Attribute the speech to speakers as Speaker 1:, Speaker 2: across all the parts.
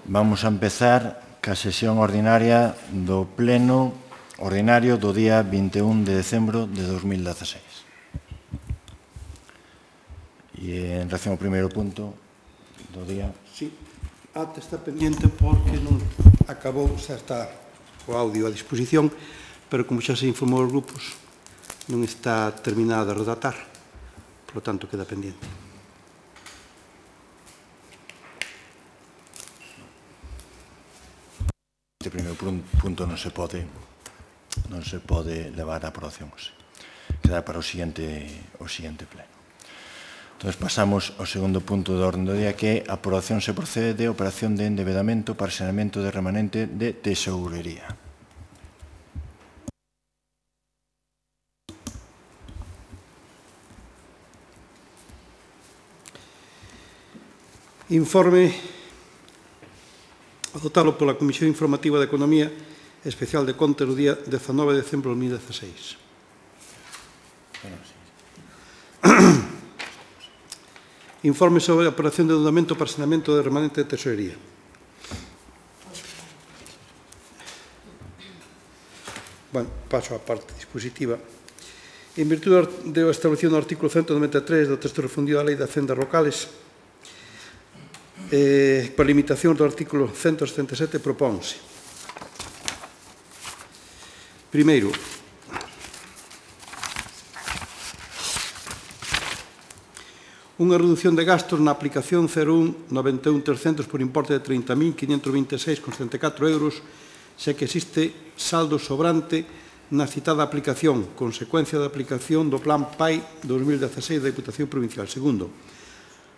Speaker 1: Vamos a empezar ca sesión ordinaria do pleno ordinario do día 21 de decembro de 2016. E en relación ao primeiro punto do día...
Speaker 2: Sí, ata está pendiente porque non acabou, xa está o audio a disposición, pero como xa se informou os grupos, non está terminada de redactar, por lo tanto queda pendiente.
Speaker 1: Este primeiro punto non se pode levar a aprobación. Queda para o seguinte pleno. Entón, pasamos ao segundo punto do orden do día, que é a aprobación se procede de operación de endevedamento para saneamento de remanente de tesourería.
Speaker 2: Informe adoptado pola Comisión Informativa de Economía Especial de Contas do día 19 de decembro de 2016. Informe sobre a operación de endeudamento para saneamento de remanente de tesorería. Bueno, paso á parte dispositiva. En virtude da establecido no artículo 193 do texto refundido da Lei de Hacendas Locales, por limitación do artículo 177, propónse: primeiro, unha reducción de gastos na aplicación 01-91-300 por importe de 30.526,74 euros, xa que existe saldo sobrante na citada aplicación, consecuencia da aplicación do Plan PAI 2016 da Diputación Provincial. Segundo,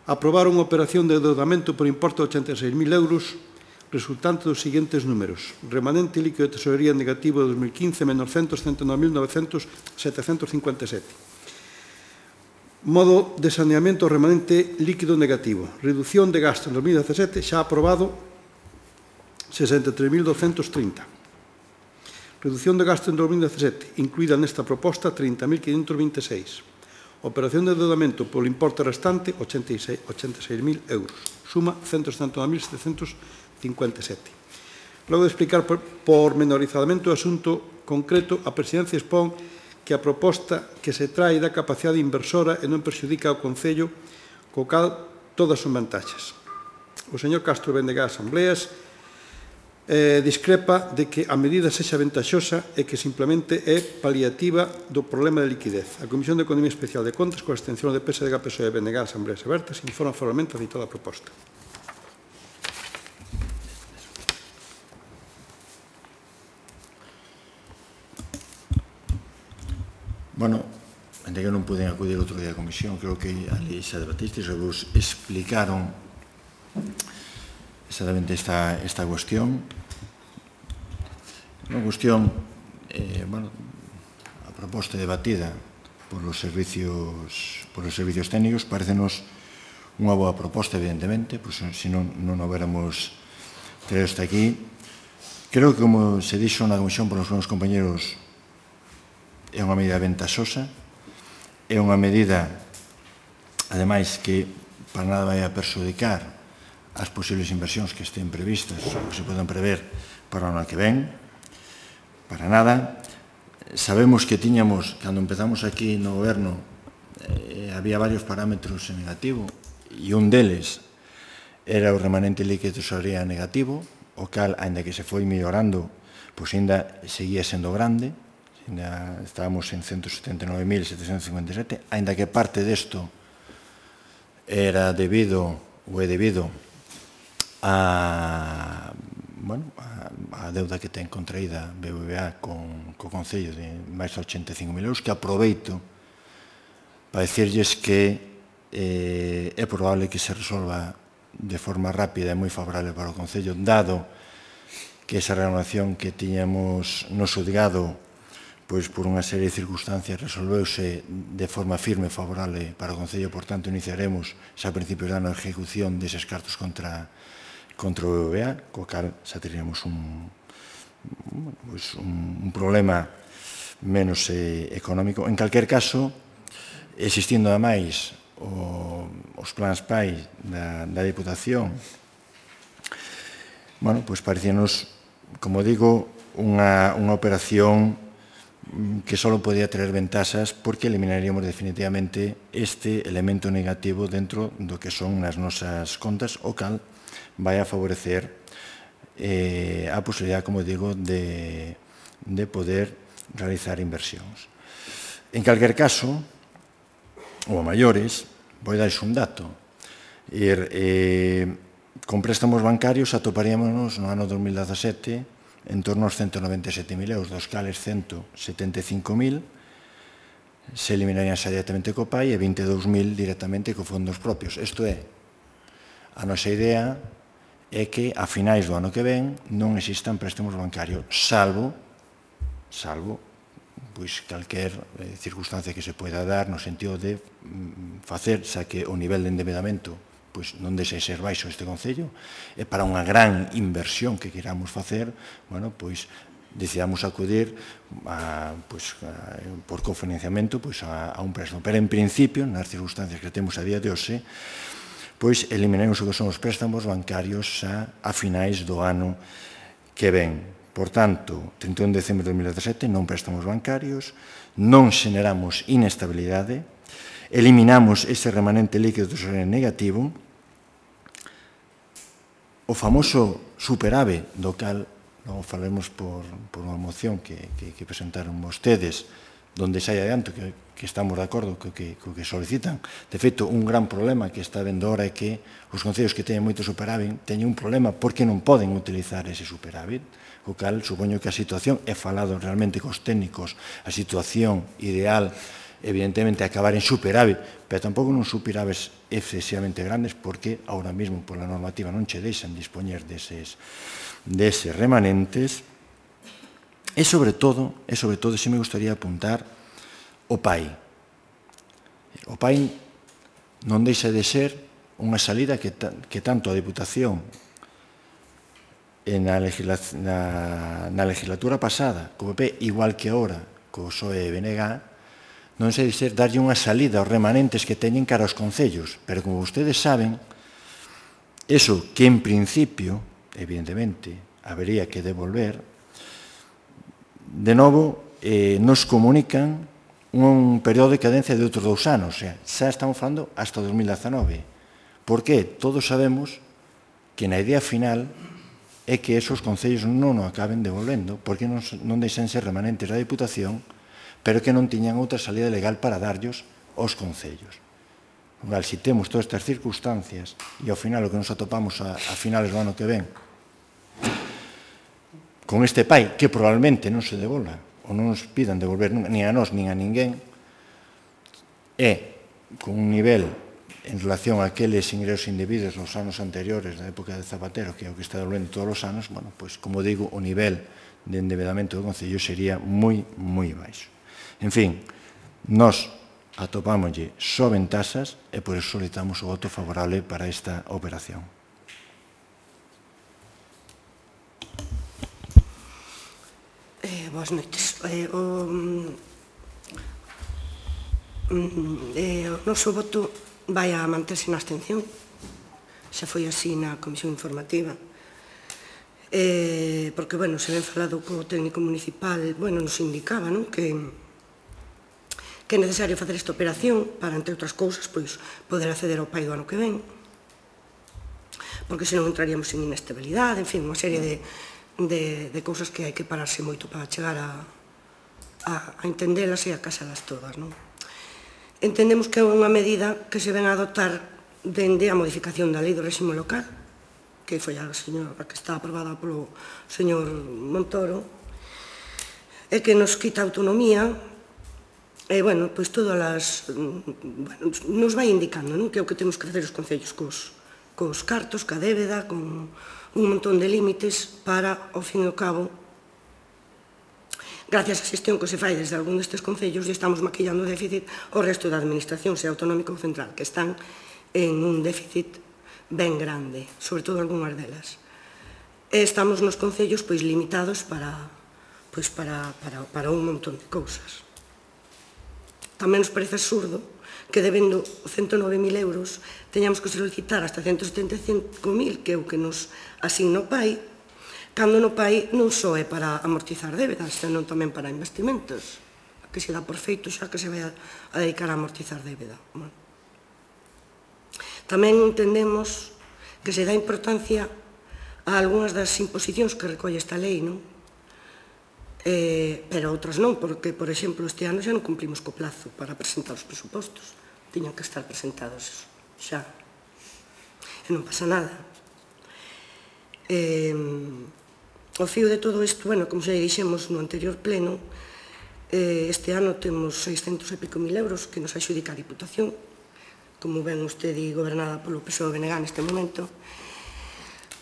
Speaker 2: aprobar unha operación de endeudamento por importe de 86.000 euros resultante dos seguintes números: remanente líquido de tesorería negativo de 2015 menos 139.757. Modo de saneamento remanente líquido negativo. Reducción de gasto en 2017 xa aprobado 63.230. Reducción de gasto en 2017 incluída nesta proposta 30.526. Operación de endeudamento polo importe restante 86.000 euros. Suma 169.757. Logo de explicar pormenorizadamente o asunto concreto, a Presidencia expón que a proposta que se trae da capacidade inversora e non perxudica ao Concello, co cal todas son vantaxes. O señor Castro Vendega Asambleas discrepa de que a medida sexa ventaxosa e que simplemente é paliativa do problema de liquidez. A Comisión de Economía Especial de Contas, coa abstención de PSDG, PSOE e Vendega Asambleas Abertas, informa formalmente a citada proposta.
Speaker 1: Bueno, ainda que non puden acudir outro día a comisión, creo que ali xa debatistes e vos explicaron exactamente esta cuestión. Unha cuestión, a proposta debatida por os servicios técnicos parecenos unha boa proposta, evidentemente, pois se non houbéramos traído hasta aquí. Creo que, como se dixo na comisión por os meus compañeros, é unha medida ventaxosa, é unha medida, ademais, que para nada vai a perxudicar as posibles inversións que estén previstas ou que se poden prever para o ano que ven, para nada. Sabemos que tiñamos, cando empezamos aquí no goberno, había varios parámetros en negativo, e un deles era o remanente líquido de tesorería negativo, o cal, ainda que se foi mellorando, pois ainda seguía sendo grande, ainda estábamos en 179.757, ainda que parte desto era debido, ou é debido, a deuda que ten contraída BBVA co Concello de máis de 85.000 euros, que aproveito para dicirlles que é probable que se resolva de forma rápida e moi favorable para o Concello, dado que esa reclamación que tiñamos no xudgado, pois por unha serie de circunstancias resolveuse de forma firme e favorable para o Concello. Por tanto, iniciaremos xa a principios de ano a ejecución deses cartos contra o BBVA, co cal xa teríamos un problema menos económico. En calquer caso, existindo ademais os plans PAI da Diputación, bueno, pois parecíanos, como digo, unha operación que só podía traer ventaxas porque eliminaríamos definitivamente este elemento negativo dentro do que son nas nosas contas, o cal vai a favorecer a posibilidade, como digo, de poder realizar inversións. En calquer caso, ou a maiores, vou darles un dato. Con préstamos bancarios atoparíamos no ano 2017 en torno aos 197.000 euros, dos cales 175.000 se eliminarían xa directamente co PAI e 22.000 directamente co fondos propios. Isto é, a nosa idea é que a finais do ano que ven non existan préstamos bancarios, salvo pois calquer circunstancia que se poida dar no sentido de facer xa que o nivel de endebedamento pois non deixe de ser baixo este Concello, e para unha gran inversión que queramos facer, bueno, pois decidamos acudir por cofinanciamento a un préstamo. Pero en principio, nas circunstancias que temos a día de hoxe, pois eliminaremos o que son os préstamos bancarios xa a finais do ano que ven. Por tanto, 31 de decembro de 2017, non préstamos bancarios, non xeneramos inestabilidade, eliminamos ese remanente líquido de tesorería negativo, o famoso superávit do cal logo falaremos por unha moción que presentaron vostedes, donde xa hai adianto que estamos de acordo co que solicitan. De feito, un gran problema que está vendo ahora é que os concellos que teñen moito superávit teñen un problema porque non poden utilizar ese superávit, o cal supoño que a situación, he falado realmente cos técnicos, a situación ideal evidentemente acabar en superávit, pero tampouco non superávites excesivamente grandes porque ahora mesmo pola normativa non che deixan dispoñer deses remanentes. E sobre todo, se me gustaría apuntar o PAI. O PAI non deixa de ser unha salida que tanto a Deputación na legislatura pasada, como PP, igual que ahora, co PSOE e BNG, non sei dizer darlle unha salida aos remanentes que teñen cara aos concellos, pero como vostedes saben, eso que en principio, evidentemente, habería que devolver, de novo, nos comunican un período de cadencia de outros 2 anos, o sea, xa estamos falando hasta 2019. Por que? Todos sabemos que na idea final é que esos concellos non o acaben devolvendo, porque non deixan ser remanentes da Deputación, pero que non tiñan outra salida legal para darllos aos concellos. Se temos todas estas circunstancias e ao final o que nos atopamos a finales do ano que ven con este PAI que probablemente non se devolva ou non nos pidan devolver nin a nós nin a ninguén, é con un nivel en relación a aqueles ingresos indebidos nos anos anteriores da época de Zapatero, que é o que está devolvendo todos os anos, bueno, pois, como digo, o nivel de endebedamento do Concello sería moi, moi baixo. En fin, nós atopámoslle só ventaxas e por iso solicitamos o voto favorable para esta operación.
Speaker 3: Boas noites. O noso voto vai a manterse na abstención. Xa foi así na comisión informativa. Porque, bueno, se ven falado co técnico municipal, bueno, nos indicaba, non, que é necesario facer esta operación para, entre outras cousas, pois, poder acceder ao PAI do ano que ven, porque senón entraríamos en inestabilidade, en fin, unha serie de cousas que hai que pararse moito para chegar a entendelas e a casalas todas, non? Entendemos que é unha medida que se ven a adoptar dende a modificación da lei do réxime local, que foi a que está aprobada polo señor Montoro, e que nos quita autonomía. E, bueno, pois todas as... nos vai indicando, non? Que é o que temos que facer os concellos cos cartos, ca débeda, con un montón de límites para, ao fin e ao cabo, gracias á xestión que se fai desde algún destes concellos, e estamos maquillando o déficit ao resto da administración, sea autonómica ou central, que están en un déficit ben grande, sobre todo algunhas delas. E estamos nos concellos pois limitados para un montón de cousas. Tamén nos parece absurdo que debendo 109.000 euros teñamos que solicitar hasta 175.000, que é o que nos asigna o PAI, Cando no país non só é para amortizar débedas, senón tamén para investimentos, que se dá por feito xa que se vai a dedicar a amortizar débeda. Tamén entendemos que se dá importancia a algunhas das imposicións que recolle esta lei, non? Pero outras non, porque, por exemplo, este ano xa non cumplimos co plazo para presentar os presupostos. Tiñan que estar presentados xa. E non pasa nada. O fío de todo isto, bueno, como xa dixemos no anterior pleno, este ano temos 600 e pico mil euros que nos adxudica a Diputación, como ven vostede gobernada polo PSOE-BNG neste momento,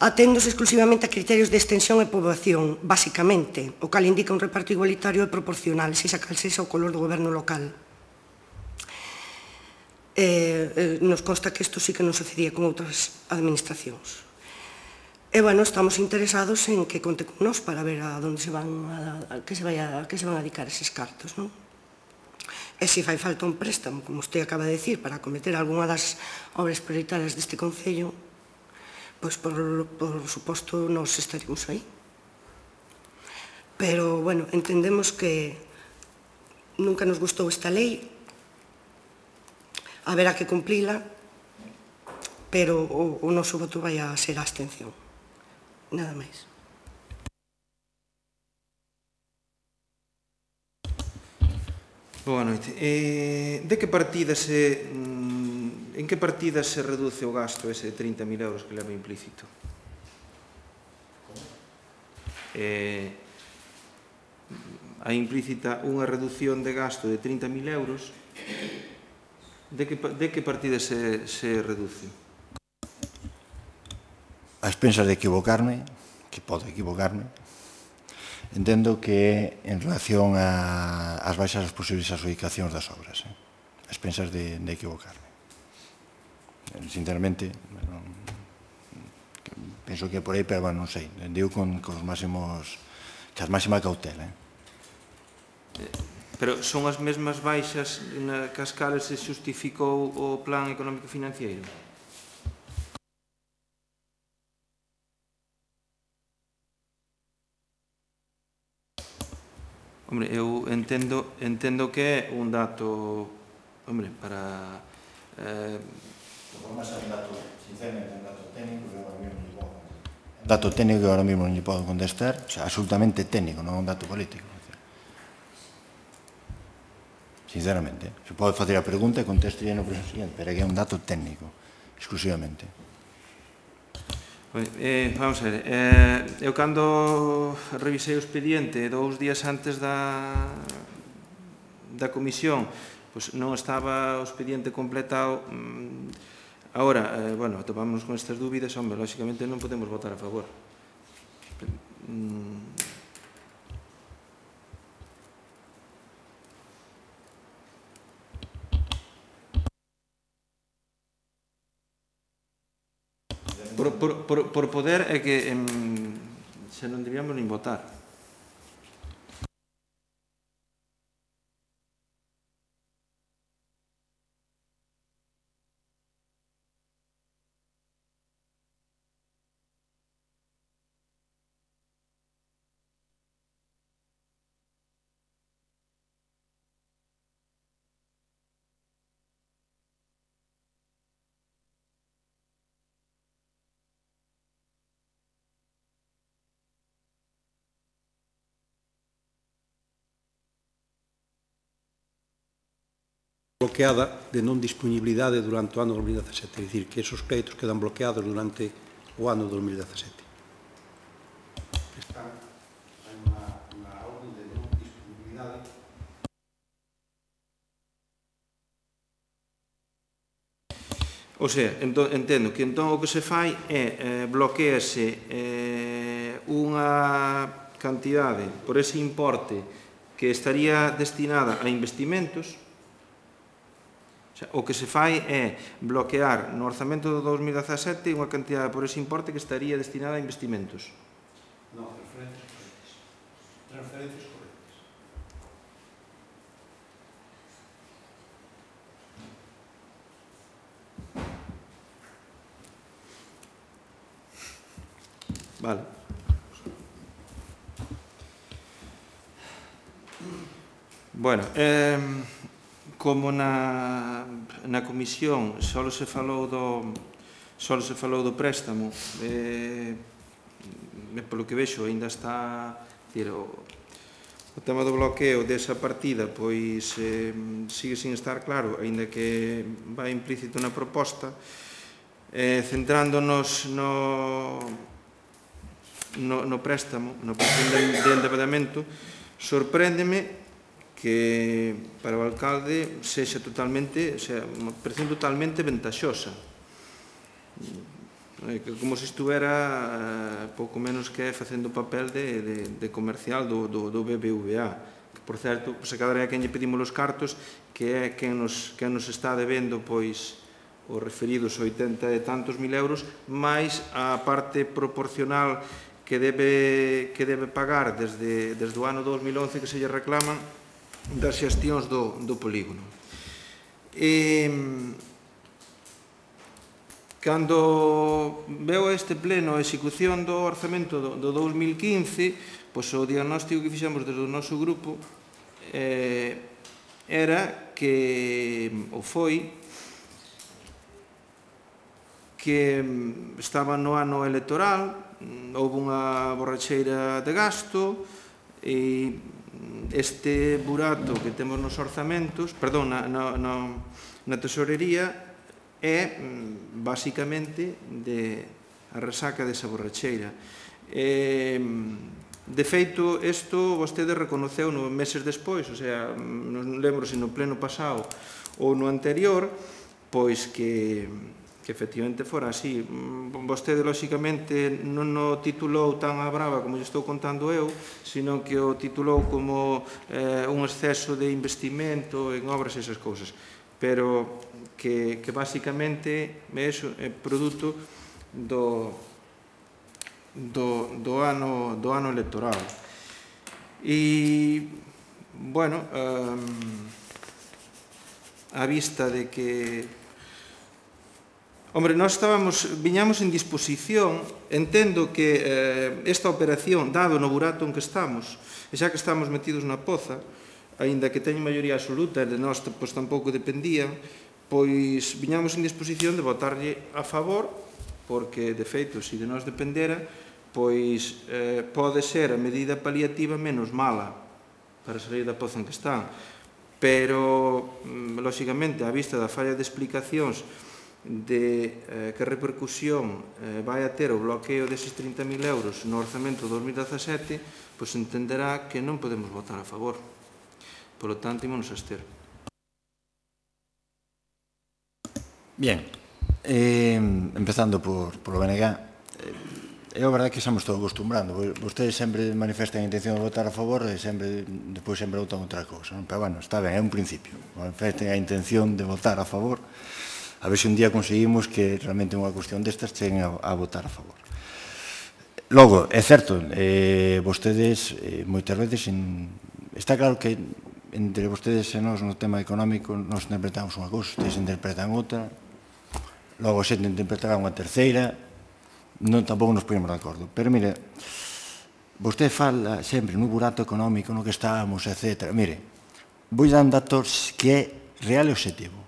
Speaker 3: aténdose exclusivamente a criterios de extensión e poboación, basicamente, o cal indica un reparto igualitario e proporcional, sexa cal sexa o color do goberno local. Nos consta que isto sí que non sucedía con outras administracións. E, bueno, estamos interesados en que conte con nós para ver a onde se van a dedicar eses cartos, non? E se fai falta un préstamo, como usted acaba de decir, para acometer algunha das obras prioritarias deste Concello, pois, por suposto, nos estaremos aí. Pero, bueno, entendemos que nunca nos gustou esta lei, haberá que cumplila, pero o noso voto vai a ser a abstención. Nada máis.
Speaker 4: Boa noite. En que partidas se reduce o gasto ese de 30.000 euros que leva implícito? Hai implícita unha reducción de gasto de 30.000 euros. De que partidas se reduce?
Speaker 1: A expensas de equivocarme, que podo equivocarme, entendo que en relación ás baixas das posibles adxudicacións das obras, a expensas de equivocarme. Sinceramente, penso que por aí, pero non sei, digo con as máxima cautela.
Speaker 4: Pero son as mesmas baixas nas cales se xustificou o plan económico financiero? Hombre, eu entendo que é un dato, hombre, para...
Speaker 1: Sinceramente, un dato técnico que agora mesmo non podo contestar. Un dato técnico que agora mesmo non podo contestar, absolutamente técnico, non é un dato político. Sinceramente, se pode facer a pregunta e conteste no proceso siguiente, pero que é un dato técnico, exclusivamente.
Speaker 4: Vamos a ver, eu cando revisei o expediente 2 días antes da comisión, pois non estaba o expediente completado. Agora, bueno, topámonos con estas dúbidas, hombre, lóxicamente non podemos votar a favor. Por poder é que se non debíamos nin votar.
Speaker 2: Bloqueada de non disponibilidade durante o ano 2017, é dicir, que esos créditos quedan bloqueados durante o ano 2017. Está na orde de non disponibilidade.
Speaker 4: O sea, entendo que entón o que se fai é bloquease unha cantidade por ese importe que estaría destinada a investimentos. O que se fai é bloquear no orzamento do 2017 unha cantidade por ese importe que estaría destinada a investimentos.
Speaker 2: Non, transferencias correctas. Transferencias correctas.
Speaker 4: Vale. Bueno, como na comisión só se falou do préstamo, polo que vexo ainda está, o tema do bloqueo desa partida pois sigue sin estar claro, aínda que vai implícito na proposta. Centrándonos no préstamo, no de endeudamento, sorpréndeme que para o alcalde sexa totalmente, unha operación totalmente ventaxosa, como se estuvera pouco menos que facendo o papel de comercial do BBVA, que por certo, se cadra é quen lle pedimos os cartos, que é quen nos está debendo pois os referidos 80 e tantos mil euros, máis a parte proporcional que debe pagar desde o ano 2011 que se lle reclaman das xestións do polígono. Cando veo este pleno a execución do orzamento do 2015, pois o diagnóstico que fixemos desde o noso grupo era que, ou foi, que estaba no ano electoral, houve unha borracheira de gasto e este burato que temos nos orzamentos, perdón, na tesorería, é basicamente a resaca desa borracheira. De feito, isto vostede reconoceu meses despois, o sea, non lembro se no pleno pasado ou no anterior, pois que efectivamente fora así. Vostede, lóxicamente, non o titulou tan a brava como lle estou contando eu, sino que o titulou como un exceso de investimento en obras e esas cousas, pero que basicamente é produto do ano electoral. E, bueno, a vista de que hombre, nós viñamos en disposición, entendo que esta operación, dado no burato en que estamos, e xa que estamos metidos na poza, aínda que teñen maioría absoluta, e de nós tampouco dependían, pois viñamos en disposición de votarlle a favor, porque, de feito, se de nós dependera, pois pode ser a medida paliativa menos mala para salir da poza en que están. Pero, lóxicamente, á vista da falla de explicacións de que repercusión vai a ter o bloqueo deses 30.000 euros no orzamento 2017, pois entenderá que non podemos votar a favor. Polo tanto, ímonos a abster.
Speaker 1: Bien, empezando por o BNG, é a verdade que estamos todos acostumbrando. Vostedes sempre manifestan a intención de votar a favor e depois sempre votan outra cousa. Pero, bueno, está ben, é un principio. Manifesten a intención de votar a favor. A ver se un día conseguimos que realmente unha cuestión destas cheguen a votar a favor. Logo, é certo, vostedes moitas veces, está claro que entre vostedes e nós no tema económico nos interpretamos unha cousa, ustedes interpretan outra, logo xente interpretará unha terceira, tampouco nos poñemos de acordo. Pero, mire, vostede fala sempre no burato económico no que estábamos, etc. Mire, vou dar un dato que é real e objetivo.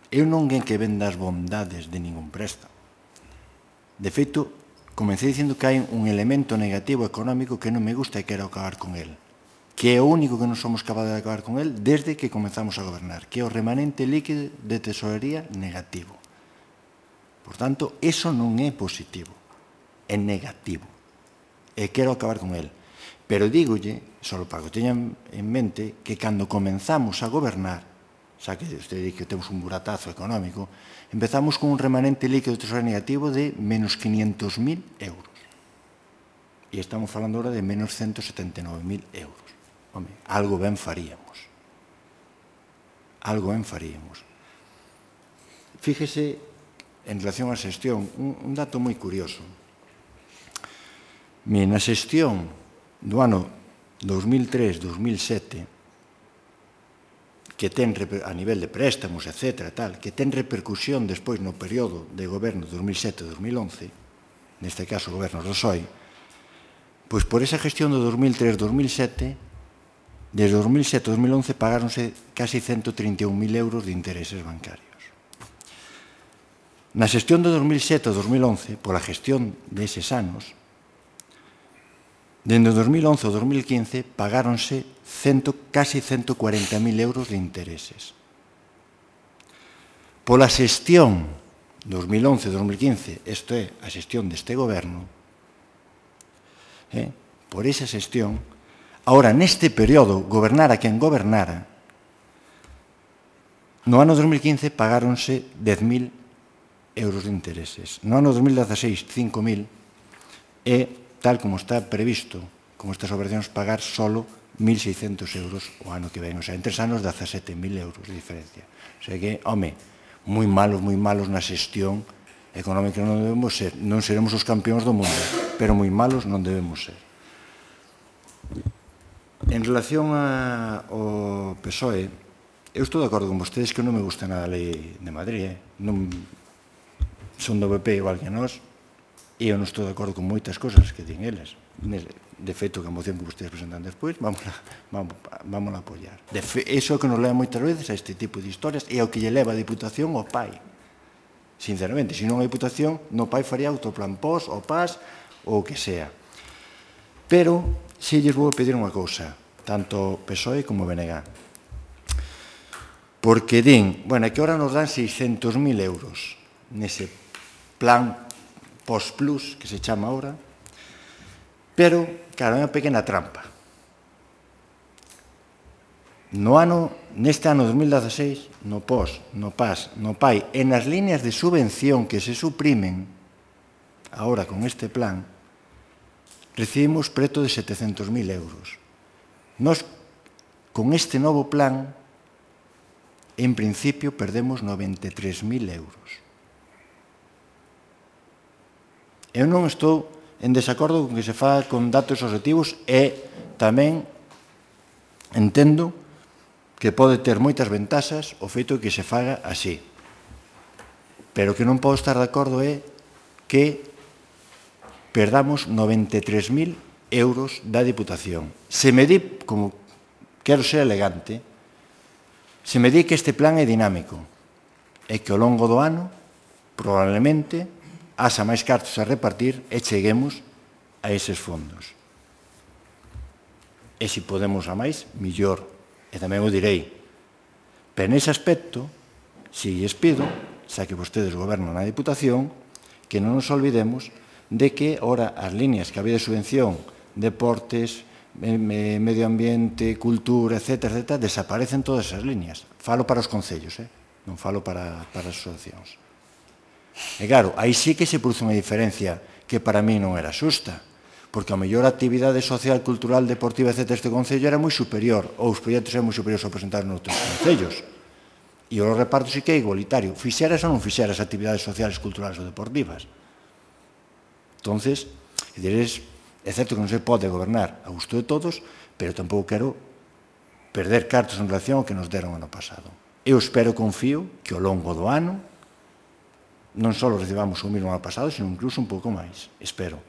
Speaker 1: Eu non é que venda as bondades de ningún préstamo. De feito, comecei dicindo que hai un elemento negativo económico que non me gusta e quero acabar con el, que é o único que non somos capaces de acabar con el desde que comenzamos a gobernar, que é o remanente líquido de tesorería negativo. Por tanto, eso non é positivo, é negativo, e quero acabar con el. Pero dígolle, só para que teñan en mente, que cando comenzamos a gobernar, xa que usted di que temos un buratazo económico, empezamos con un remanente líquido de tesorería negativo de menos 500.000 euros. E estamos falando ahora de menos 179.000 euros. Home, algo ben faríamos. Algo ben faríamos. Fíjese, en relación á xestión, un dato moi curioso. Na xestión do ano 2003-2007, que ten a nivel de préstamos, etc., que ten repercusión despois no período de goberno 2007-2011, neste caso o goberno do PSOE, pois por esa gestión do 2003-2007 desde 2007 a 2011 pagáronse casi 131.000 euros de intereses bancarios. Na xestión de 2007 a 2011, pola gestión deses anos, dende 2011 a 2015 pagáronse casi 140.000 euros de intereses. Pola xestión 2011-2015, isto é, a xestión deste goberno, por esa xestión, ahora, neste período, gobernara quen gobernara, no ano 2015 pagáronse 10.000 euros de intereses. No ano 2016, 5.000, e, tal como está previsto, con estas operacións, pagar solo 1.600 euros o ano que ven. O sea, en 3 anos, 17.000 euros de diferencia. O sea que, home, moi malos na xestión económica non debemos ser. Non seremos os campeóns do mundo, pero moi malos non debemos ser. En relación ao PSOE, eu estou de acordo con vostedes que non me gusta nada a lei de Madrid. Non son do PP igual que nós, e eu non estou de acordo con moitas cosas que din eles. De feito, que a moción que vostedes presentan despois, vamos a apoiar. Iso é o que nos leva moitas veces a este tipo de historias, e é o que lle leva a Diputación ao PAI. Sinceramente, se non a Diputación, no PAI faría autoplan POS, o PAS, ou o que sea. Pero, se lles vou pedir unha cousa, tanto PSOE como BNG. Porque din, bueno, que ahora nos dan 600.000 euros nese plan POS Plus, que se chama ahora, pero, claro, é unha pequena trampa. Neste ano 2016, no POS, no PAS, no PAI, e nas líneas de subvención que se suprimen, agora con este plan, recibimos preto de 700.000 euros. Nós, con este novo plan, en principio, perdemos 93.000 euros. Eu non estou en desacordo con que se faga con datos objetivos e tamén entendo que pode ter moitas ventaxas o feito de que se faga así. Pero que non podo estar de acordo é que perdamos 93.000 euros da Diputación. Se me di, como quero ser elegante, se me di que este plan é dinámico e que ao longo do ano probablemente haxa máis cartos a repartir e cheguemos a eses fondos. E se podemos a máis, millor. E tamén o direi. Pero nese aspecto, se lles pido, xa que vostedes gobernan na Diputación, que non nos olvidemos de que, ora, as líneas que había de subvención, deportes, medio ambiente, cultura, etc., desaparecen todas esas líneas. Falo para os concellos, non falo para as asociacións. E claro, aí sí que se produce unha diferencia que para mí non era xusta, porque a mellor actividade social, cultural, deportiva, etc., este concello era moi superior, ou os proxectos eran moi superiores ao presentar noutros concellos. E o reparto sí que é igualitario, fixeras ou non fixeras actividades sociales, culturales ou deportivas. Entonces, é certo que non se pode gobernar a gusto de todos, pero tampouco quero perder cartos en relación ao que nos deron ano pasado. Eu espero, confío, que ao longo do ano non só recibamos o mesmo ano pasado, sino incluso un pouco máis, espero.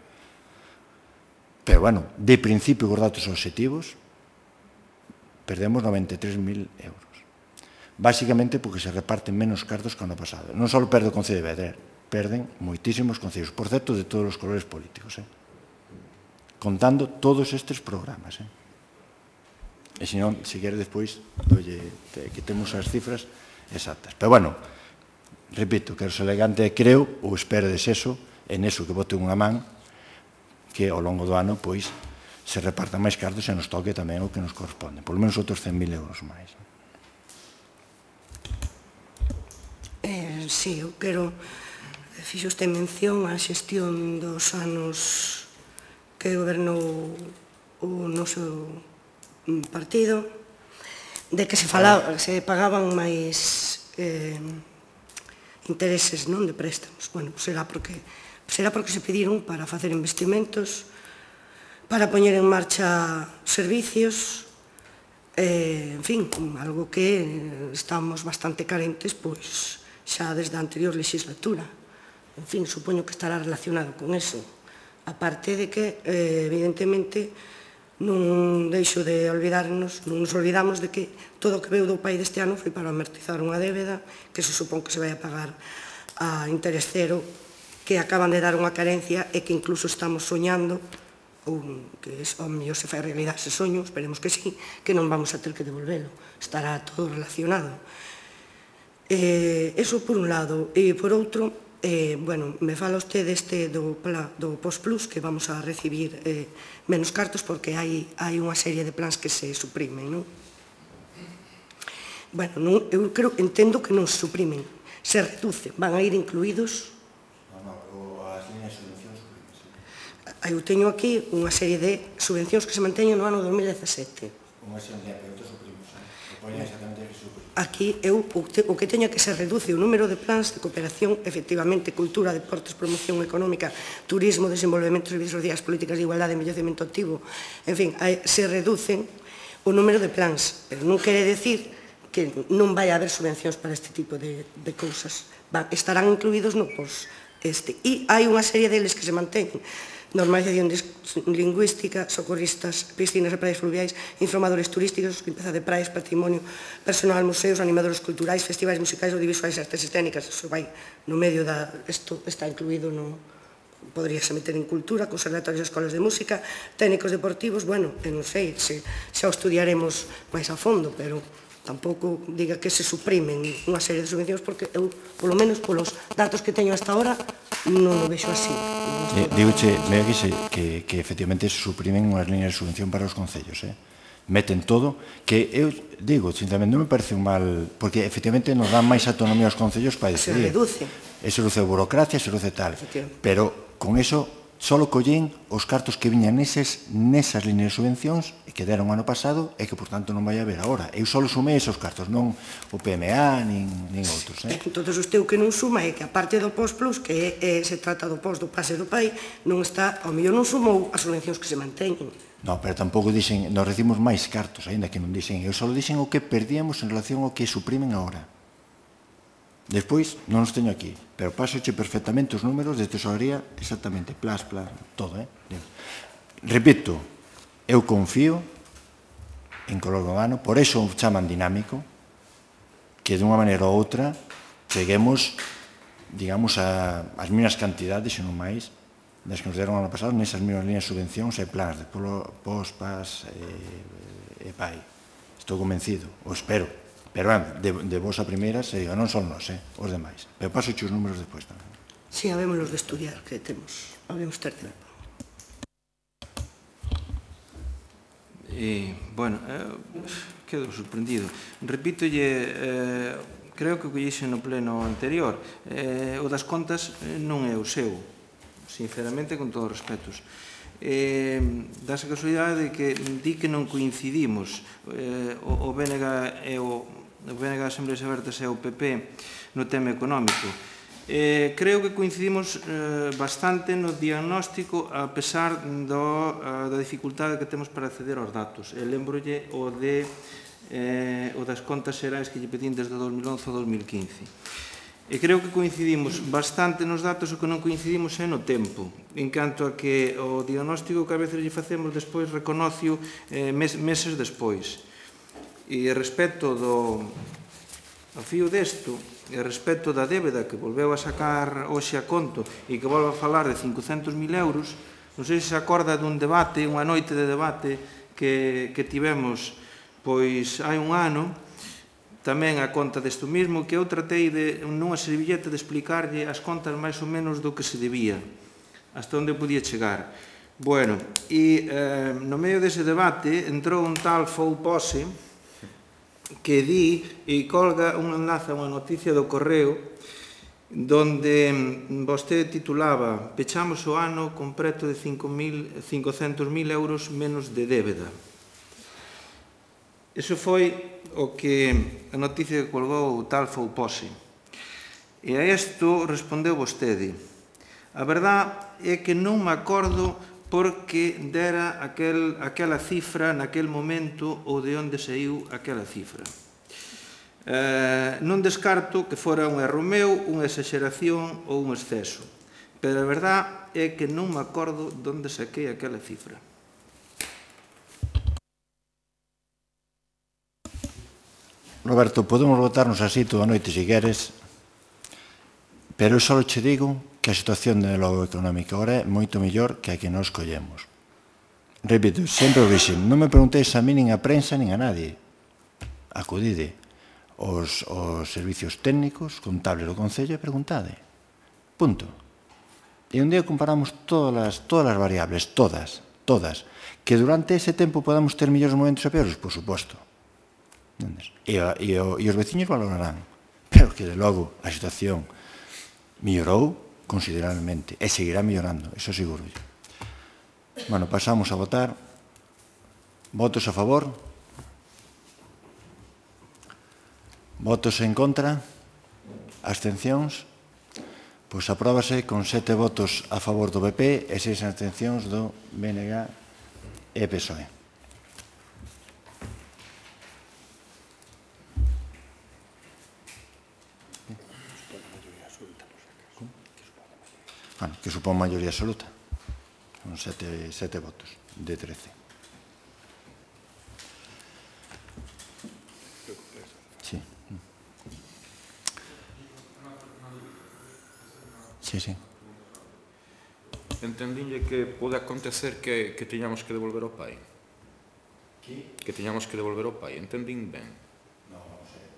Speaker 1: Pero, bueno, de principio, con datos objetivos, perdemos 93.000 euros. Básicamente porque se reparten menos cartos que o ano pasado. Non só perde o Concello de Vedrer, perden moitísimos concellos, por certo, de todos os colores políticos, contando todos estes programas. E se non, se quere despois, que temos as cifras exactas. Pero, bueno, repito, quero ser elegante e creo, ou espero de eso, en eso que bote unha man, que ao longo do ano, pois, se repartan máis cartos e nos toque tamén o que nos corresponde. Por lo menos outros 100.000 euros máis.
Speaker 3: Sí, eu quero, fixo usted mención á xestión dos anos que gobernou o noso partido, de que se pagaban máis intereses, non, de préstamos. Bueno, será porque se pediron para facer investimentos, para poñer en marcha servicios, en fin, algo que estamos bastante carentes, pois, xa desde a anterior legislatura. En fin, supoño que estará relacionado con eso. Aparte de que, evidentemente, non deixo de olvidarnos, non nos olvidamos de que todo o que veu do PAI deste ano foi para amortizar unha débeda que se supón que se vai a pagar a interés cero, que acaban de dar unha carencia e que incluso estamos soñando, ou que ao mellor se fai realidade ese soño, esperemos que sí, que non vamos a ter que devolvelo, estará todo relacionado. Eso por un lado, e por outro, me fala usted do POS Plus, que vamos a recibir menos cartos porque hai unha serie de plans que se suprimen, non? Bueno, eu entendo que non se suprimen, se reducen, van a ir incluídos.
Speaker 1: As líneas de subvención suprimen, sí.
Speaker 3: Eu teño aquí unha serie de subvencións que se manteñen no ano 2017.
Speaker 1: Unha serie de pero suprimos, que poñen exactamente que suprimos.
Speaker 3: Aquí o que teño que se reduce o número de plans de cooperación, efectivamente, cultura, deportes, promoción económica, turismo, desenvolvemento, servicios sociais, políticas de igualdade, envellecemento activo, en fin, se reducen o número de plans, pero non quere decir que non vai haber subvencións para este tipo de cousas. Estarán incluídos no POS. E hai unha serie deles que se manteñen. Normalización lingüística, socorristas, piscinas e praias fluviais, informadores turísticos, limpeza de praias, patrimonio personal, museos, animadores culturais, festivais musicais, audiovisuais e artes escénicas. Iso vai no medio da... Isto está incluído no... Podríase meter en cultura, conservatorios e escolas de música, técnicos deportivos, bueno, non sei, xa o estudiaremos máis a fondo, pero tampouco diga que se suprimen unha serie de subvencións, porque eu, polo menos polos datos que teño hasta ahora, non o vexo así.
Speaker 1: Digoche, que efectivamente se suprimen unhas líneas de subvención para os concellos, meten todo, que eu digo, sinceramente, non me parece un mal, porque efectivamente nos dan máis autonomía aos concellos para decidir.
Speaker 3: Se reduce.
Speaker 1: Se reduce a burocracia, se reduce tal, pero con eso só collín os cartos que viñan nesas líneas de subvencións que deron ano pasado e que, por tanto, non vai haber agora. Eu só sumei esos cartos, non o PMA, nin outros.
Speaker 3: Entón, usted o que non suma é que, a parte do POS Plus, que se trata do POS do pase do PAI, non está, ao mellor non sumou as subvencións que se manteñen.
Speaker 1: Non, pero tampouco dixen, nos recibimos máis cartos, aínda que non dixen, eu só dixen o que perdíamos en relación ao que suprimen agora. Despois, non os teño aquí, pero pasoche perfectamente os números de tesorería, exactamente, plas, todo, Repito, eu confío en que ao longo do ano, por eso o chaman dinámico, que dunha maneira ou outra cheguemos, digamos, ás mesmas cantidades, se non máis, das que nos deron ano pasado, nesas mesmas líneas de subvencións e plans de POS, PAS e PAI. Estou convencido, o espero. Pero, de vos a primeira, se diga, non son nós, os demais. Pero paso os números despois tamén.
Speaker 3: Sí, habémoslos de estudiar, que temos, habemos ter tempo.
Speaker 4: Bueno, quedo sorprendido. Repítolle, creo que o collixe no pleno anterior, o das contas non é o seu, sinceramente, con todos os respetos. Dase a casualidade de que di que non coincidimos o BNG e o BNG de Asembleas Abertas e o PP no tema económico. Creo que coincidimos bastante no diagnóstico, a pesar da dificultade que temos para acceder aos datos. Lembrolle o das contas xerais que lle pedín desde 2011 ao 2015. E creo que coincidimos bastante nos datos, o que non coincidimos é no tempo, en canto a que o diagnóstico que a veces lle facemos despois reconocio meses despois. E respecto ao fío desto, e respecto da débeda que volveu a sacar hoxe a conto e que volve a falar de 500.000 euros, non sei se se acorda dun debate, unha noite de debate que tivemos pois hai un ano, tamén a conta desto mismo, que eu tratei nunha servilleta de explicarlle as contas máis ou menos do que se debía, hasta onde podía chegar. Bueno, e no medio dese debate entrou un tal Fou Pose que di e colga un enlace a unha noticia do Correo donde vostede titulaba "Pechamos o ano con preto de 500.000 euros menos de débeda". Iso foi o que a noticia que colgou o tal Fou Pose. E a isto respondeu vostede: "A verdade é que non me acordo porque dera aquela cifra naquel momento ou de onde saiu aquela cifra. Non descarto que fora un erro meu, unha exageración ou un exceso, pero a verdade é que non me acordo de onde saquei aquela cifra".
Speaker 1: Roberto, podemos votarnos así toda a noite se queres, pero eu só che digo que a situación de logo económica agora é moito mellor que a que nos collemos. Repito, sempre o dixen, non me preguntéis a mí nin a prensa nin a nadie. Acudide aos servicios técnicos, contables do Concello e preguntade. Punto. E un día comparamos todas as variables, todas, que durante ese tempo podamos ter mellores momentos e peores, por suposto. E os veciños valorarán, pero que de logo a situación mellorou considerablemente e seguirá mellorando, iso seguro. Bueno, pasamos a votar. Votos a favor? Votos en contra? Abstencións? Pois apróbase con 7 votos a favor do PP e 6 abstencións do BNG e PSOE. Bueno, que supón maioría absoluta. Son 7 votos de 13. Sí. Sí, sí.
Speaker 5: Entendinlle que pode acontecer que teñamos que devolver ao pai. Que teñamos que devolver ao pai. Entendín ben?
Speaker 1: Non, non sei.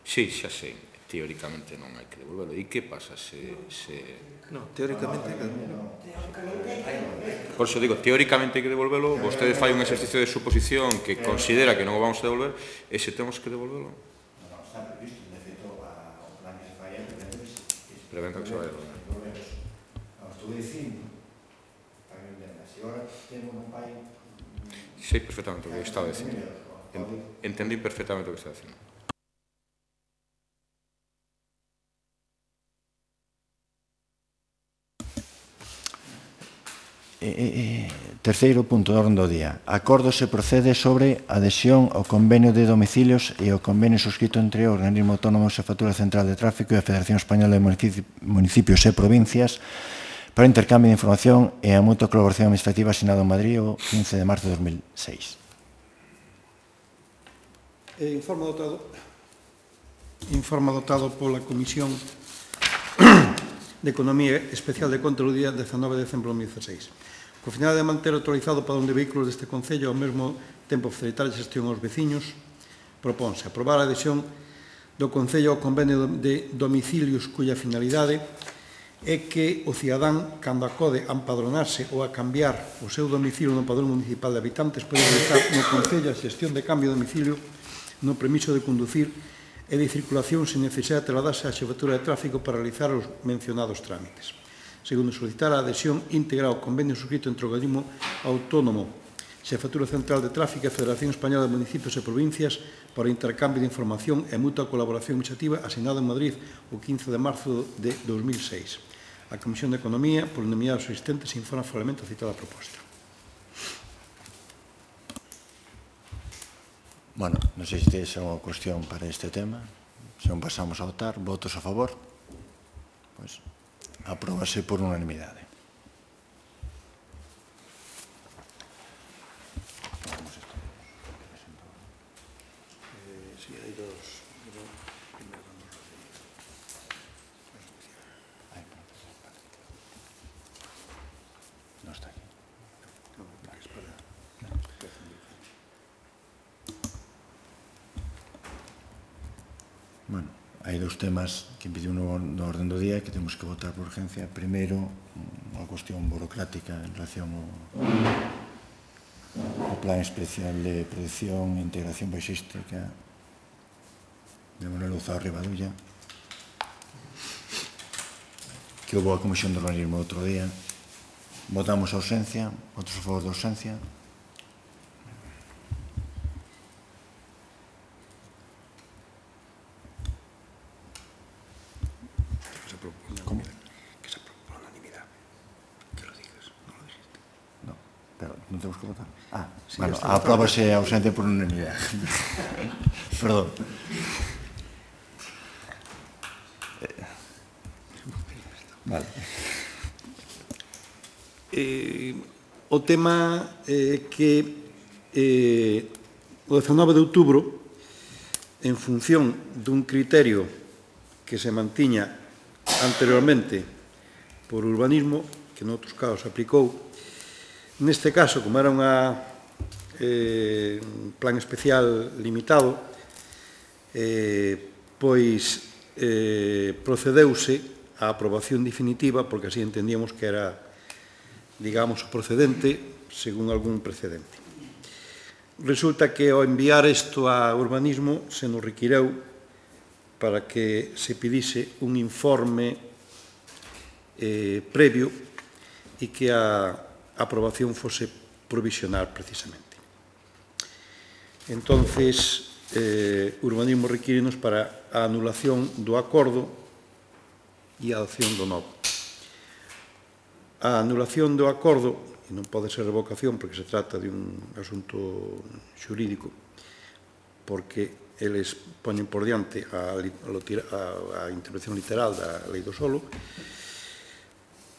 Speaker 5: Sí, xa sei. Teóricamente non hai que devolverlo. E que pasa se...
Speaker 4: No, teóricamente...
Speaker 5: Por iso digo, teóricamente hai que devolverlo. Vostede fai un exercicio de suposición que considera que non o vamos a devolver, e se temos que devolverlo?
Speaker 1: Non, está previsto. De feito, o plan que se fai é
Speaker 5: Prevento que se vai a devolver.
Speaker 1: Estou dicindo, para que entendas, se agora temos un pai...
Speaker 5: Sei perfectamente o que estaba dicindo. Entendí perfectamente o que estaba dicindo.
Speaker 1: Terceiro punto do orden do día. Acordo se procede sobre adhesión ao convenio de domicilios e ao convenio suscrito entre o Organismo Autónomo e a Factura Central de Tráfico e a Federación Española de Municipios e Provincias para o intercambio de información e a mutua colaboración administrativa asinado en Madrid o 15 de marzo de 2006.
Speaker 2: Informe adoptado pola Comisión de Economía Especial de Conta do día 19 de decembro de 2016. Co final de manter autorizado para un de vehículos deste Concello ao mesmo tempo facilitar a xestión aos veciños, propónse aprobar a adhesión do Concello ao convenio de domicilios cuya finalidade é que o cidadán, cando acode a empadronarse ou a cambiar o seu domicilio no padrón municipal de habitantes, pode realizar no Concello a xestión de cambio de domicilio no permiso de conducir e de circulación sen necesidade de trasladarse á xefatura de tráfico para realizar os mencionados trámites. Segundo, solicitar a adhesión íntegra ao convenio suscrito entre o Organismo Autónomo, Xefatura Central de Tráfico e a Federación Española de Municipios e Provincias para o intercambio de información e mutua colaboración administrativa asinado en Madrid o 15 de marzo de 2006. A Comisión de Economía, por unanimidade dos asistentes, informa favorablemente a citada proposta.
Speaker 1: Bueno, non sei se tedes alguna cuestión para este tema. Se non pasamos a votar, votos a favor. Pois, apróbase por unanimidade.
Speaker 2: Sí, hai dos.
Speaker 1: Non está aquí. Bueno, hai dous temas que pediu no orden do día que temos que votar por urgencia. Primeiro, unha cuestión burocrática en relación ao Plan Especial de Protección e Integración Baixística de Manuel Luzao Rivadulla, que houve a Comisión de Urbanismo outro día. Votamos a ausencia. Votos a favor da ausencia. Non temos que votar? Sí, bueno, apróbase a ausencia por unanimidade. Perdón. Vale.
Speaker 2: O tema que o 19 de outubro en función dun criterio que se mantiña anteriormente por urbanismo, que noutros casos aplicou. Neste caso, como era un plan especial limitado, pois procedeuse á aprobación definitiva, porque así entendíamos que era, digamos, o procedente según algún precedente. Resulta que ao enviar isto a urbanismo se nos requireu para que se pidise un informe previo e que a aprobación fose provisional precisamente. Entonces, urbanismo requírenos para a anulación do acordo e a adopción do novo. A anulación do acordo, e non pode ser revocación porque se trata de un asunto xurídico, porque eles poñen por diante a intervención literal da lei do solo,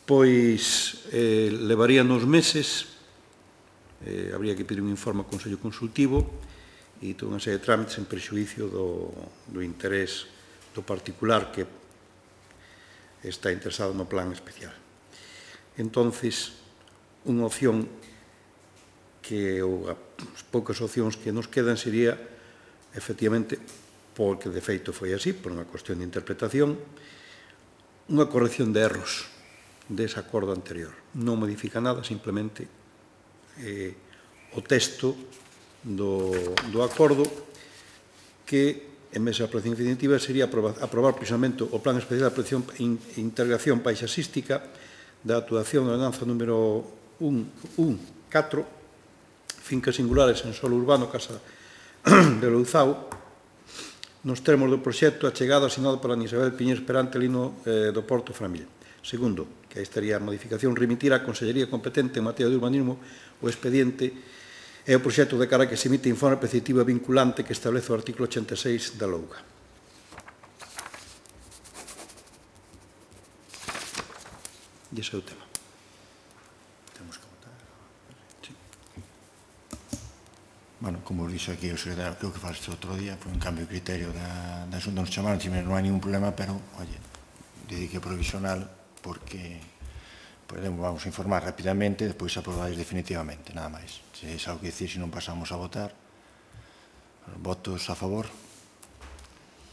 Speaker 2: pois levaría nos meses, habría que pedir un informe ao Consello Consultivo e toda unha serie de trámites en prexuicio do interés do particular que está interesado no plan especial. Entonces, unha opción que as poucas opcións que nos quedan sería, efectivamente, porque de feito foi así, por unha cuestión de interpretación, unha corrección de erros dese acordo anterior. Non modifica nada, simplemente o texto do acordo que, en vez da aprobación definitiva, sería aprobar precisamente o Plan Especial de Protección e Integración Paisaxística da actuación da ordenanza número 1.4, fincas singulares en solo urbano, Casa de Louzao, nos termos do proxecto achegado asinado por Ana Isabel Piñeiro Esperante, Lino do Porto Framil. Segundo, que aí estaría a modificación, remitir á Consellería competente en materia de urbanismo o expediente e o proxecto de cara que se emite informe preceptivo e vinculante que establece o artículo 86 da LOUGA. E ese é o tema.
Speaker 1: Bueno, como dixo aquí o secretario, creo que falaste outro día, foi un cambio de criterio da Xunta, nos chamaron, non hai ningún problema, pero, oye, dedique provisional, porque vamos a informar rapidamente e despois aprobaréis definitivamente, nada máis. Se é algo que dicir, se non pasamos a votar, votos a favor,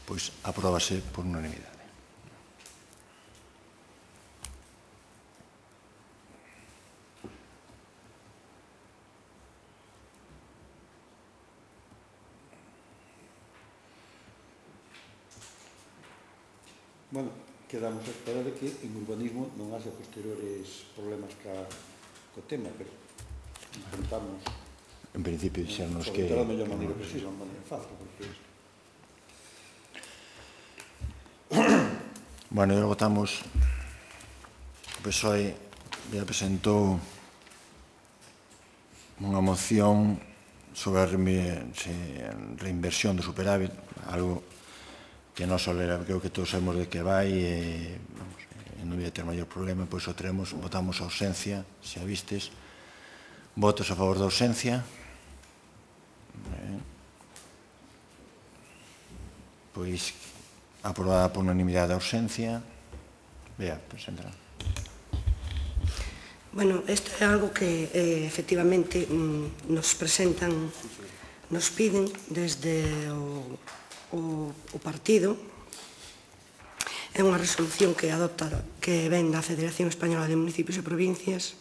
Speaker 1: pois apróbase por unanimidade.
Speaker 2: Bueno, quedamos a espera de que en urbanismo non haxa posteriores problemas co tema, pero intentamos...
Speaker 1: En principio, dixernos que...
Speaker 2: Sobre todo a mellor maneira precisa, a maneira fácil, porque...
Speaker 1: Bueno, e logo votamos... O PSOE ya presentou unha moción sobre a reinversión do superávit, algo que non só creo que todos sabemos de que vai e non vai ter maior problema, pois o teremos, votamos a ausencia, se a vistes, votos a favor da ausencia, pois aprobada por unanimidade da ausencia. Vea, presenta.
Speaker 3: Bueno, isto é algo que efectivamente nos presentan, nos piden desde o partido. É unha resolución que adopta, que ven da Federación Española de Municipios e Provincias,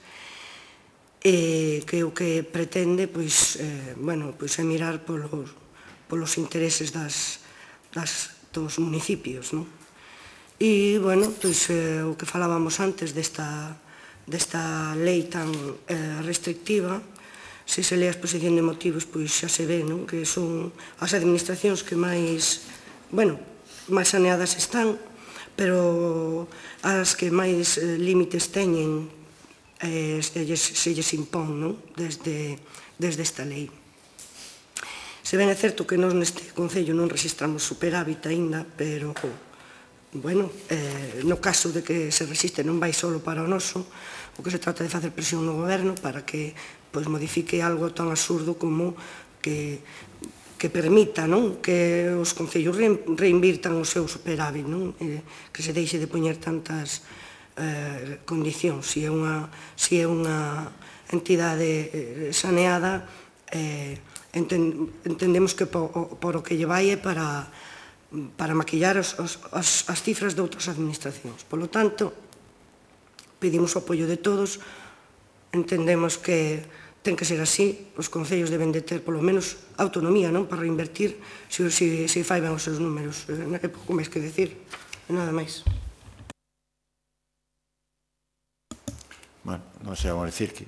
Speaker 3: e que o que pretende é mirar polos intereses dos municipios. E, o que falábamos antes desta lei tan restrictiva, se se lee a exposición de motivos, pois xa se ve que son as administracións que máis saneadas están, pero as que máis límites teñen se lles impón desde esta lei. Se ben é certo que nós neste Concello non registramos superávit aínda, pero, no caso de que se resiste non vai só para o noso, o que se trata de facer presión no goberno para que modifique algo tan absurdo como que que permita que os concellos reinvirtan o seu superávit, que se deixe de poñer tantas condicións. Se é unha entidade saneada, entendemos que por o que lle vai é para maquillar as cifras de outras administracións. Por lo tanto, pedimos o apoio de todos, entendemos que ten que ser así, os concellos deben de ter polo menos autonomía para reinvertir se fai ben os seus números. É pouco máis que decir, nada máis.
Speaker 1: Bueno, non sei, vamos a decir que,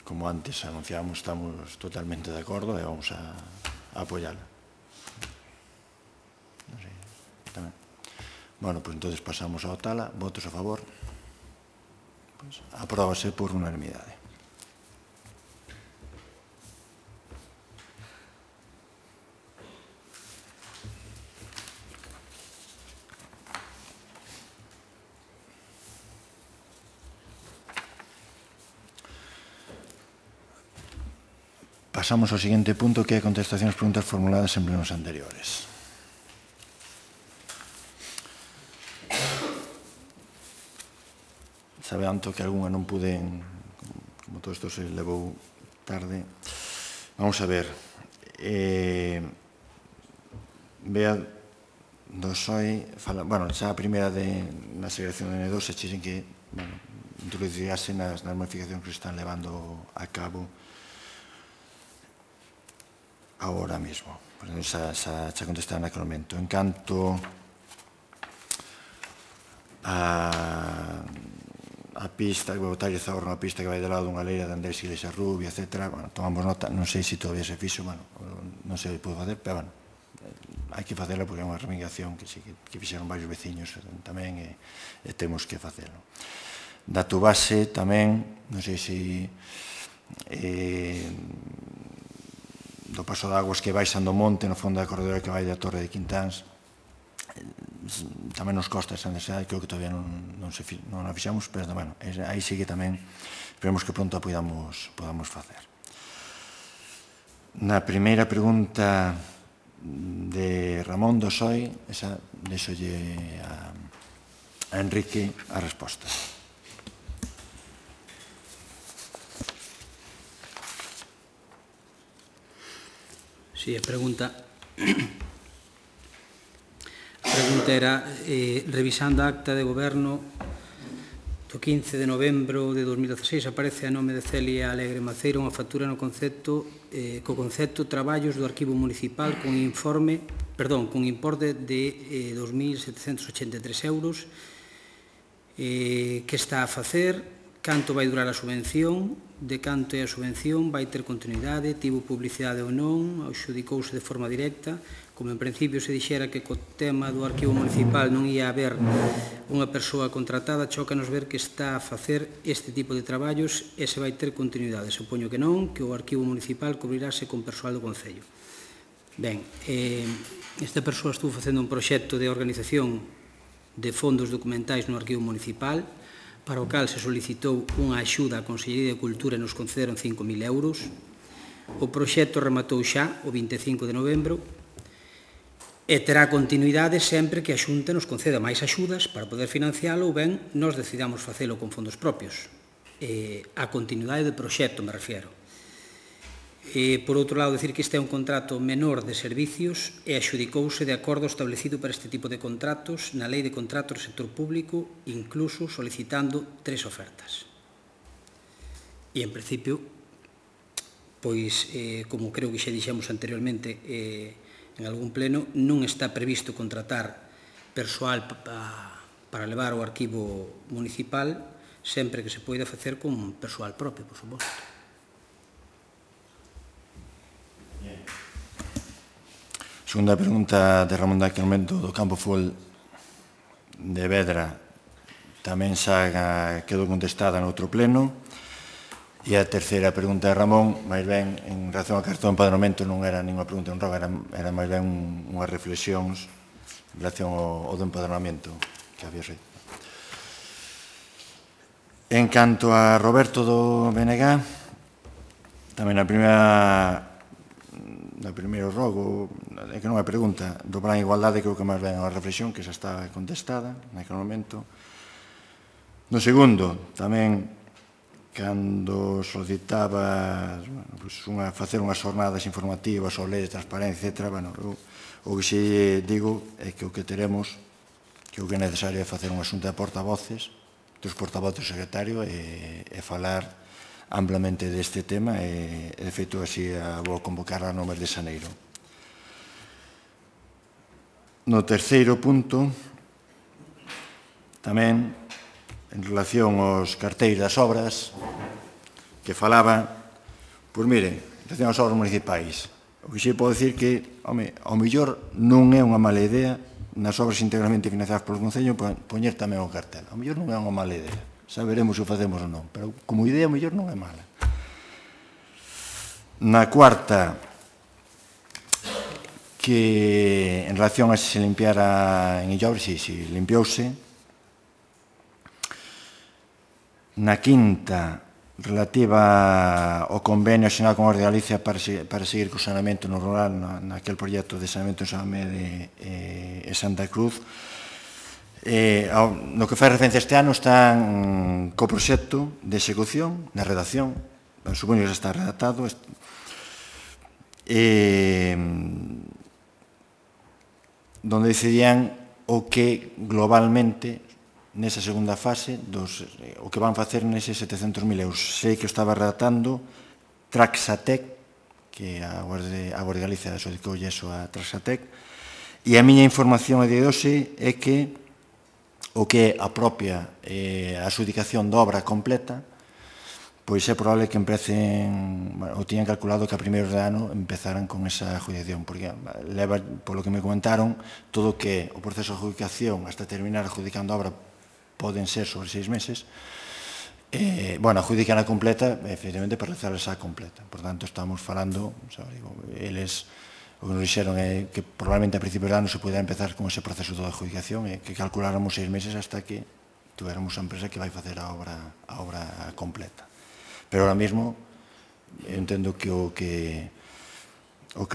Speaker 1: como antes anunciamos, estamos totalmente de acordo e vamos a apoiala. Non sei, tamén. Bueno, pois entonces pasamos ao tala. Votos a favor? Apróbase por unanimidade. Pasamos ao seguinte punto, que é a contestación ás preguntas formuladas en plenos anteriores. Sabeanto que algunha non pude, como todo isto se levou tarde. Vamos a ver. Vea do SOE, bueno, xa a primeira na segregación de N2 se chixen que introducirase nas modificacións que se están levando a cabo agora mesmo. Xa contestar naquele momento. En canto a pista, que vou botarlle Zaorro unha pista que vai do lado dunha leira de Andrés Iglesias Rubia, etc. Tomamos nota, non sei se todavía se fixo, non sei se puedo facer, pero hai que facela porque é unha reivindicación que fixeron varios veciños tamén e temos que facelo. Dato base tamén, non sei se do paso de aguas que baixan do monte no fondo da corredora que vai da Torre de Quintáns, tamén nos costa esa necesidade, creo que todavía non a fixamos, pero aí sí que tamén esperemos que pronto a podamos facer. Na primeira pregunta de Ramón do SOE, esa deixolle a Enrique a resposta.
Speaker 6: Sí, a pregunta era, revisando a acta de goberno do 15 de novembro de 2016, aparece a nome de Celia Alegre Maceira unha factura co concepto traballos do arquivo municipal con importe de 2.783 euros. Que está a facer? Canto vai durar a subvención? De canto é a subvención? Vai ter continuidade? Tivo publicidade ou non? Adxudicouse de forma directa? Como en principio se dixera que co tema do arquivo municipal non ia haber unha persoa contratada, chócanos ver que está a facer este tipo de traballos e se vai ter continuidade. Supoño que non, que o arquivo municipal cubrirase con persoal do Concello. Ben, esta persoa estuvo facendo un proxecto de organización de fondos documentais no arquivo municipal, para o cal se solicitou unha axuda á Consellería de Cultura e nos concederon 5.000 euros. O proxecto rematou xa o 25 de novembro e terá continuidade sempre que a Xunta nos conceda máis axudas para poder financiálo ou ben nos decidamos facelo con fondos propios. A continuidade do proxecto, me refiero. Por outro lado, decir que este é un contrato menor de servicios e adxudicouse de acordo establecido para este tipo de contratos na Lei de Contratos do Sector Público, incluso solicitando 3 ofertas. E, en principio, pois, como creo que xa dixemos anteriormente en algún pleno, non está previsto contratar persoal para levar o arquivo municipal, sempre que se poida facer con persoal propio, por suposto.
Speaker 1: Segunda pregunta de Ramón daquele momento do campo fútbol de Vedra tamén xa quedou contestada no outro pleno. E a terceira pregunta de Ramón, máis ben, en relación ao cartón de empadronamento, non era ninguna pregunta en roga, era máis ben unhas reflexións en relación ao do empadronamento que había feito. En canto a Roberto do BNG, tamén na primeira primeiro rogo, é que non é pregunta, do plan de igualdade creo que máis ben a reflexión, que xa está contestada naquele momento. No segundo, tamén, cando solicitaba facer unhas jornadas informativas sobre lei de transparencia, etc., o que xe digo é que o que teremos, que o que é necesario é facer unha xunta de portavoces, dos portavoces do secretario, e falar amplamente deste tema, e de feito así vou convocar no mes de xaneiro. No terceiro punto, tamén, en relación aos cartéis das obras, que falaba, pois mire, en relación aos obras municipais, o que xe podo dicir que, home, ao mellor non é unha mala idea nas obras integralmente financiadas polo Concello poñer tamén o cartel. Ao mellor non é unha mala idea. Saberemos se o facemos ou non, pero como idea, ao mellor non é mala. Na cuarta, que en relación a se limpiara en Illobres, si limpiouse. Na quinta, relativa ao convenio asinado con a Orde de Galicia para seguir co saneamento no rural, naquele proxecto de saneamento en Samamede e Santa Cruz. No que fai referencia este ano están co proxecto de execución, na redacción, supoño que xa está redactado, donde decidían o que globalmente nesa segunda fase o que van facer neses 700.000 euros. Sei que o estaba redactando Traxatec, que a Guardia de Galicia adxudicoulle eso a Traxatec, e a miña información a día de hoxe é que o que é a propia adxudicación da obra completa, pois é probable que empecen, ou tiñan calculado que a primeiros de ano empezaran con esa adjudicación, porque leva, polo que me comentaron, todo o que o proceso de adjudicación hasta terminar adjudicando a obra poden ser sobre 6 meses, adjudican a completa, efectivamente, para realizar esa completa. Por tanto, estamos falando, eles, o que nos dixeron é que probablemente a principios de ano se pudera empezar con ese proceso de adjudicación e que calculáramos 6 meses hasta que tuéramos a empresa que vai facer a obra completa. Pero ahora mismo, eu entendo que o que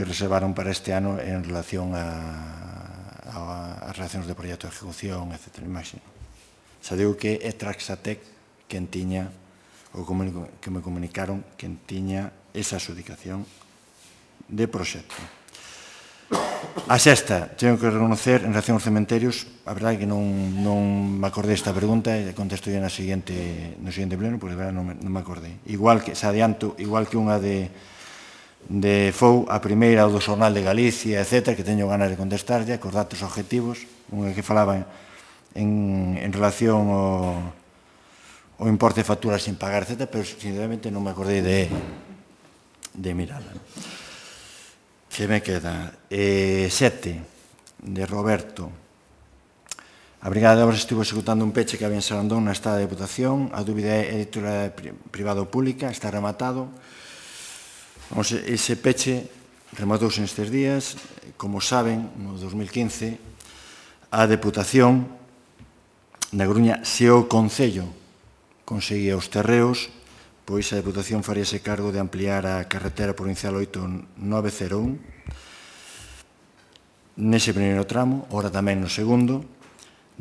Speaker 1: reservaron para este ano en relación ás relacións de proxecto de ejecución, etc. Imagino. Xa digo que é Traxatec quen tiña, ou que me comunicaron, quen tiña esa adxudicación de proxecto. A sexta, teño que reconocer, en relación aos cementerios, a verdade é que non me acordei esta pregunta e contesto no seguinte pleno, porque a verdade non me acordei. Igual que, se adianto, igual que unha de FOU, a primeira o do Xornal de Galicia, etc., que teño ganas de contestarlle, cos datos objetivos, unha que falaba en relación ao importe de facturas sin pagar, etc., pero sinceramente non me acordei de mirala. Que me queda? 7, de Roberto. A Brigada de Obras estivo executando un peche que había en Sarandón na Estada de Deputación. A dúbida é editora privada ou pública, está rematado. Ese peche rematouse nestes días. Como saben, no 2015, a Deputación na Coruña, se o Concello conseguía os terreos, pois a Deputación faríase cargo de ampliar a carretera provincial 8901 nese primeiro tramo, ora tamén no segundo.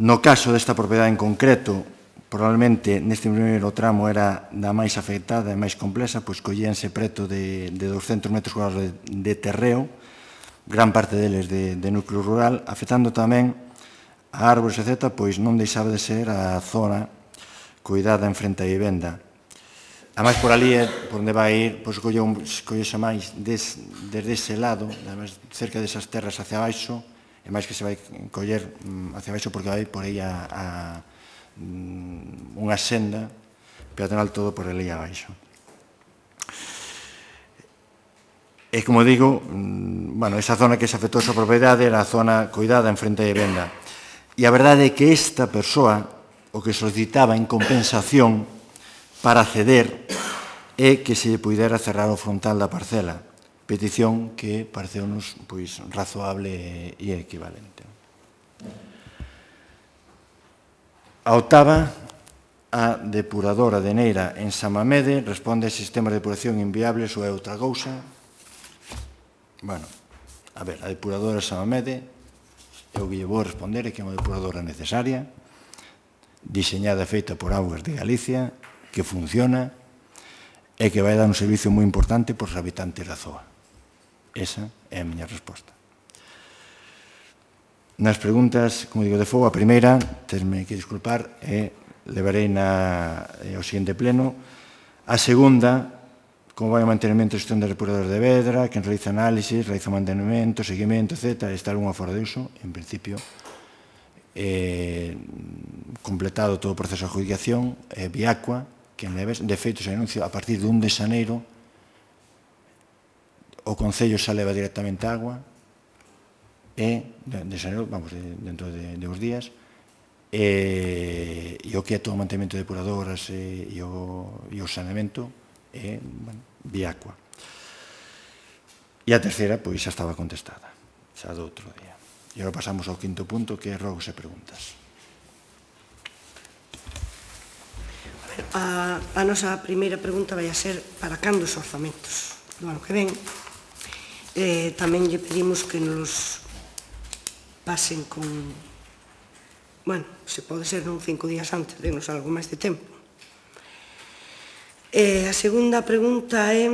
Speaker 1: No caso desta propiedade en concreto, probablemente neste primeiro tramo era da máis afectada e máis complexa, pois collíanse preto de 200 metros cuadrados de terreo, gran parte deles de núcleo rural, afectando tamén a árbores, etc., pois non deixaba de ser a zona cuidada en frente a vivenda. Ademais, por ali é por onde vai ir, pois collese máis desde ese lado, ademais, cerca desas terras hacia baixo, e máis que se vai coller hacia baixo porque vai por aí unha senda peatonal todo por ali abaixo. E, como digo, esa zona que se afectou a súa propiedade era a zona cuidada en frente a vivenda. E a verdade é que esta persoa o que solicitaba en compensación para ceder é que se pudera cerrar o frontal da parcela, petición que pareceu-nos razoable e equivalente. A octava, a depuradora de Neira en Samamede responde a sistemas de depuración inviables ou é outra cousa. Bueno, a ver, a depuradora Samamede, eu que lle vou responder é que é unha depuradora necesaria, diseñada e feita por Augas de Galicia, que funciona e que vai dar un servicio moi importante por os habitantes da zoa. Esa é a miña resposta. Nas preguntas, como digo, de fogo, a primeira, tesme que disculpar, levarei ao seguinte pleno. A segunda, como vai o mantenimento e gestión de depuradores de Vedra, quen realiza análisis, realiza mantenimento, seguimento, etc. Está algunha fora de uso, en principio, completado todo o proceso de adjudicación, Viacua, que de feito se anuncio a partir de 1 de xaneiro, o Concello xa leva directamente agua, de xaneiro, vamos, dentro de uns días, e o que é todo o mantenimento de depuradoras e o saneamento é Viacua. E a terceira, pois, xa estaba contestada, xa do outro día. E agora pasamos ao quinto punto, que é rogos e preguntas.
Speaker 3: A nosa primeira pregunta vai a ser para cando os orzamentos do ano que ven. Tamén lle pedimos que nos pasen con, bueno, se pode ser 5 días antes, denos algo máis de tempo. A segunda pregunta é,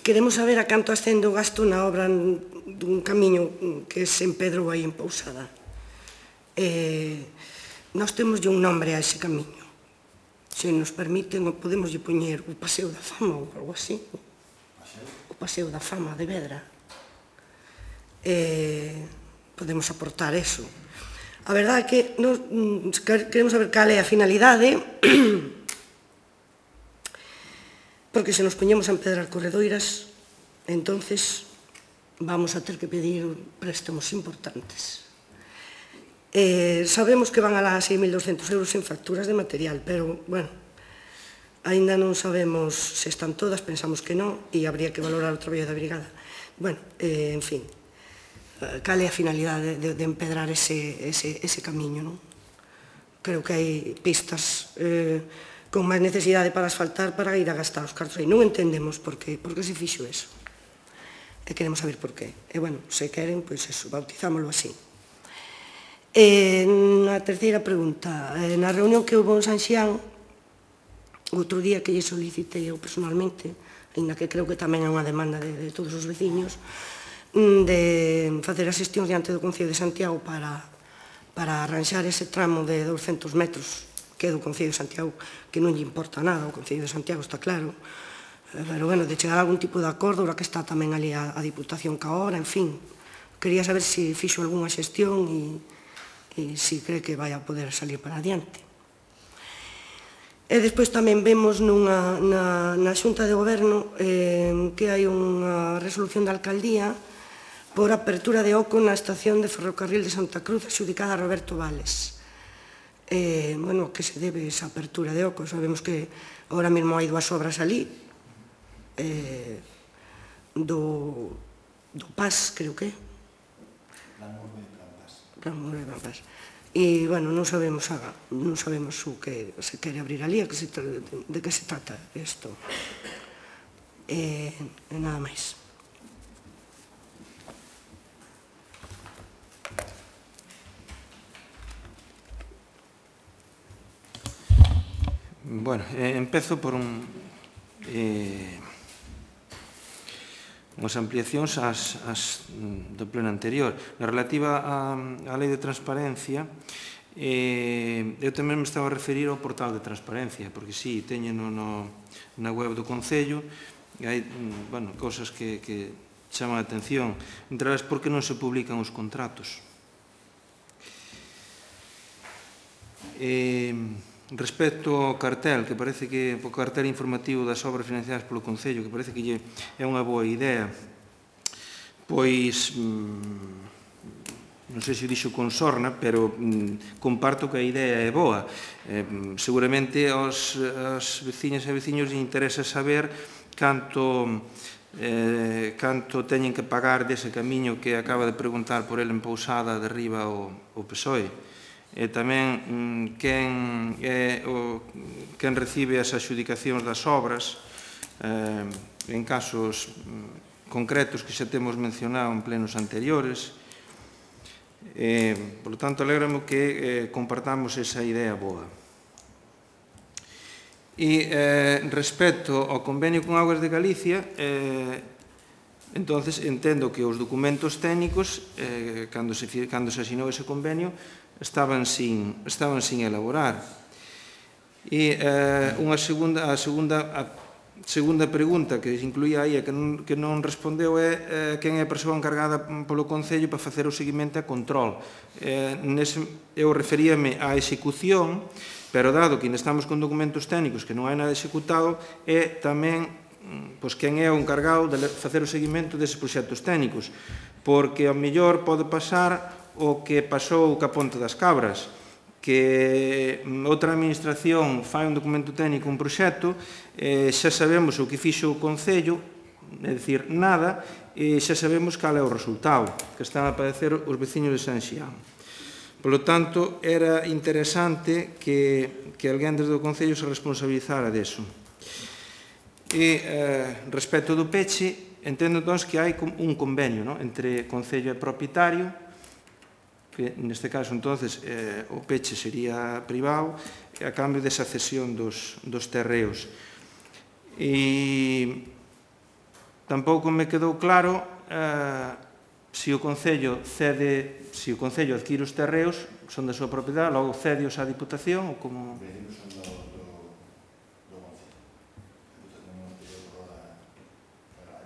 Speaker 3: queremos saber a canto ascende o gasto na obra dun camiño que se empedrou aí en Pousada. Nós temos un nombre a ese camiño. Se nos permiten, podemos lle poñer o Paseo da Fama ou algo así. O Paseo da Fama de Vedra. Podemos aportar eso. A verdade é que queremos saber cal é a finalidade, porque se nos poñemos a empedrar corredoiras, entonces vamos a ter que pedir préstamos importantes. Sabemos que van alá a 6.200 euros en facturas de material, pero, bueno, aínda non sabemos se están todas, pensamos que non, e habría que valorar o traballo da brigada. Bueno, en fin, cal é a finalidade de empedrar ese camiño, non? Creo que hai pistas con máis necesidade para asfaltar para ir a gastar os cartos aí. Non entendemos por que se fixo eso. E queremos saber por qué. E, bueno, se queren, pois eso, bautizámoslo así. Na terceira pregunta, na reunión que houve en Sanxián, outro día que lle solicitei eu personalmente, ainda que creo que tamén é unha demanda de todos os veciños, de facer a xestión diante do Concello de Santiago para arranxar ese tramo de 200 metros que é do Concello de Santiago, que non lle importa nada, o Concello de Santiago está claro, pero, bueno, de chegar a algún tipo de acordo, ahora que está tamén ali a Diputación ca hora, en fin, quería saber se fixo algunha xestión e se cree que vai a poder salir para adiante. E despois tamén vemos na Xunta de Goberno que hai unha resolución da alcaldía por apertura de oco na estación de ferrocarril de Santa Cruz adxudicada a Roberto Vales. Bueno, que se debe esa apertura de oco? Sabemos que ahora mesmo hai 2 obras ali, do PAS, creo que é. E, bueno, non sabemos o que se quere abrir ali, de que se trata isto. E nada máis.
Speaker 4: Bueno, empezo por unhas ampliacións do pleno anterior. Na relativa á lei de transparencia, eu tamén me estaba a referir ao portal de transparencia, porque sí, teñeno na web do Concello, e hai, bueno, cousas que chaman a atención, entre elas, por que non se publican os contratos. Respecto ao cartel, que parece que o cartel informativo das obras financiadas polo Concello, que parece que é unha boa idea, pois non sei se dixo con sorna, pero comparto que a idea é boa. Seguramente aos veciñas e veciños lles interesa saber canto teñen que pagar dese camiño que acaba de preguntar por ele en Pousada de Riba o PSOE. E tamén quen recibe as adxudicacións das obras en casos concretos que xa temos mencionado en plenos anteriores. Por lo tanto, alégrame que compartamos esa idea boa. E respecto ao convenio con Augas de Galicia, entonces entendo que os documentos técnicos, cando se asinou ese convenio, estaban sin elaborar. E a segunda pregunta que se incluía aí e que non respondeu é quen é a persoa encargada polo Concello para facer o seguimento e control. Eu referíame á execución, pero dado que ainda estamos con documentos técnicos que non hai nada executado, é tamén quen é o encargado de facer o seguimento deses proxectos técnicos, porque ao mellor pode pasar o que pasou ca Ponte das Cabras, que outra administración fai un documento técnico, un proxecto, xa sabemos o que fixo o Concello, é dicir, nada, e xa sabemos cal é o resultado que están a padecer os veciños de San Xián. Por lo tanto, era interesante que alguén desde o Concello se responsabilizara deso. E respecto do peche, entendo entón que hai un convenio entre Concello e propietario, que neste caso, entonces, o peche sería privado, a cambio desa cesión dos terreos. E tampouco me quedou claro se o Concello adquire os terreos, son da súa propiedade, logo cede-os á Diputación, ou como...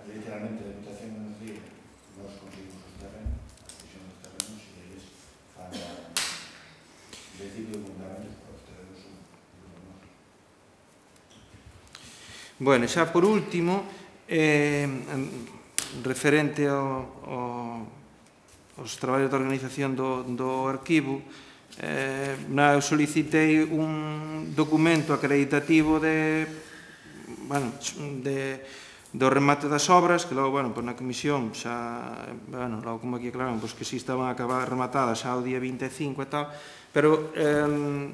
Speaker 1: Literalmente, a Diputación nos dice, nós conseguimos os terrenos, a cesión dos terrenos, e eles fan decidir fundamentos para os terrenos son nós.
Speaker 4: Bueno, xa por último, referente aos traballos de organización do arquivo, eu solicitei un documento acreditativo do remate das obras, que logo, na comisión xa, logo como aquí aclararon, que si estaban rematadas xa o día 25 e tal, pero en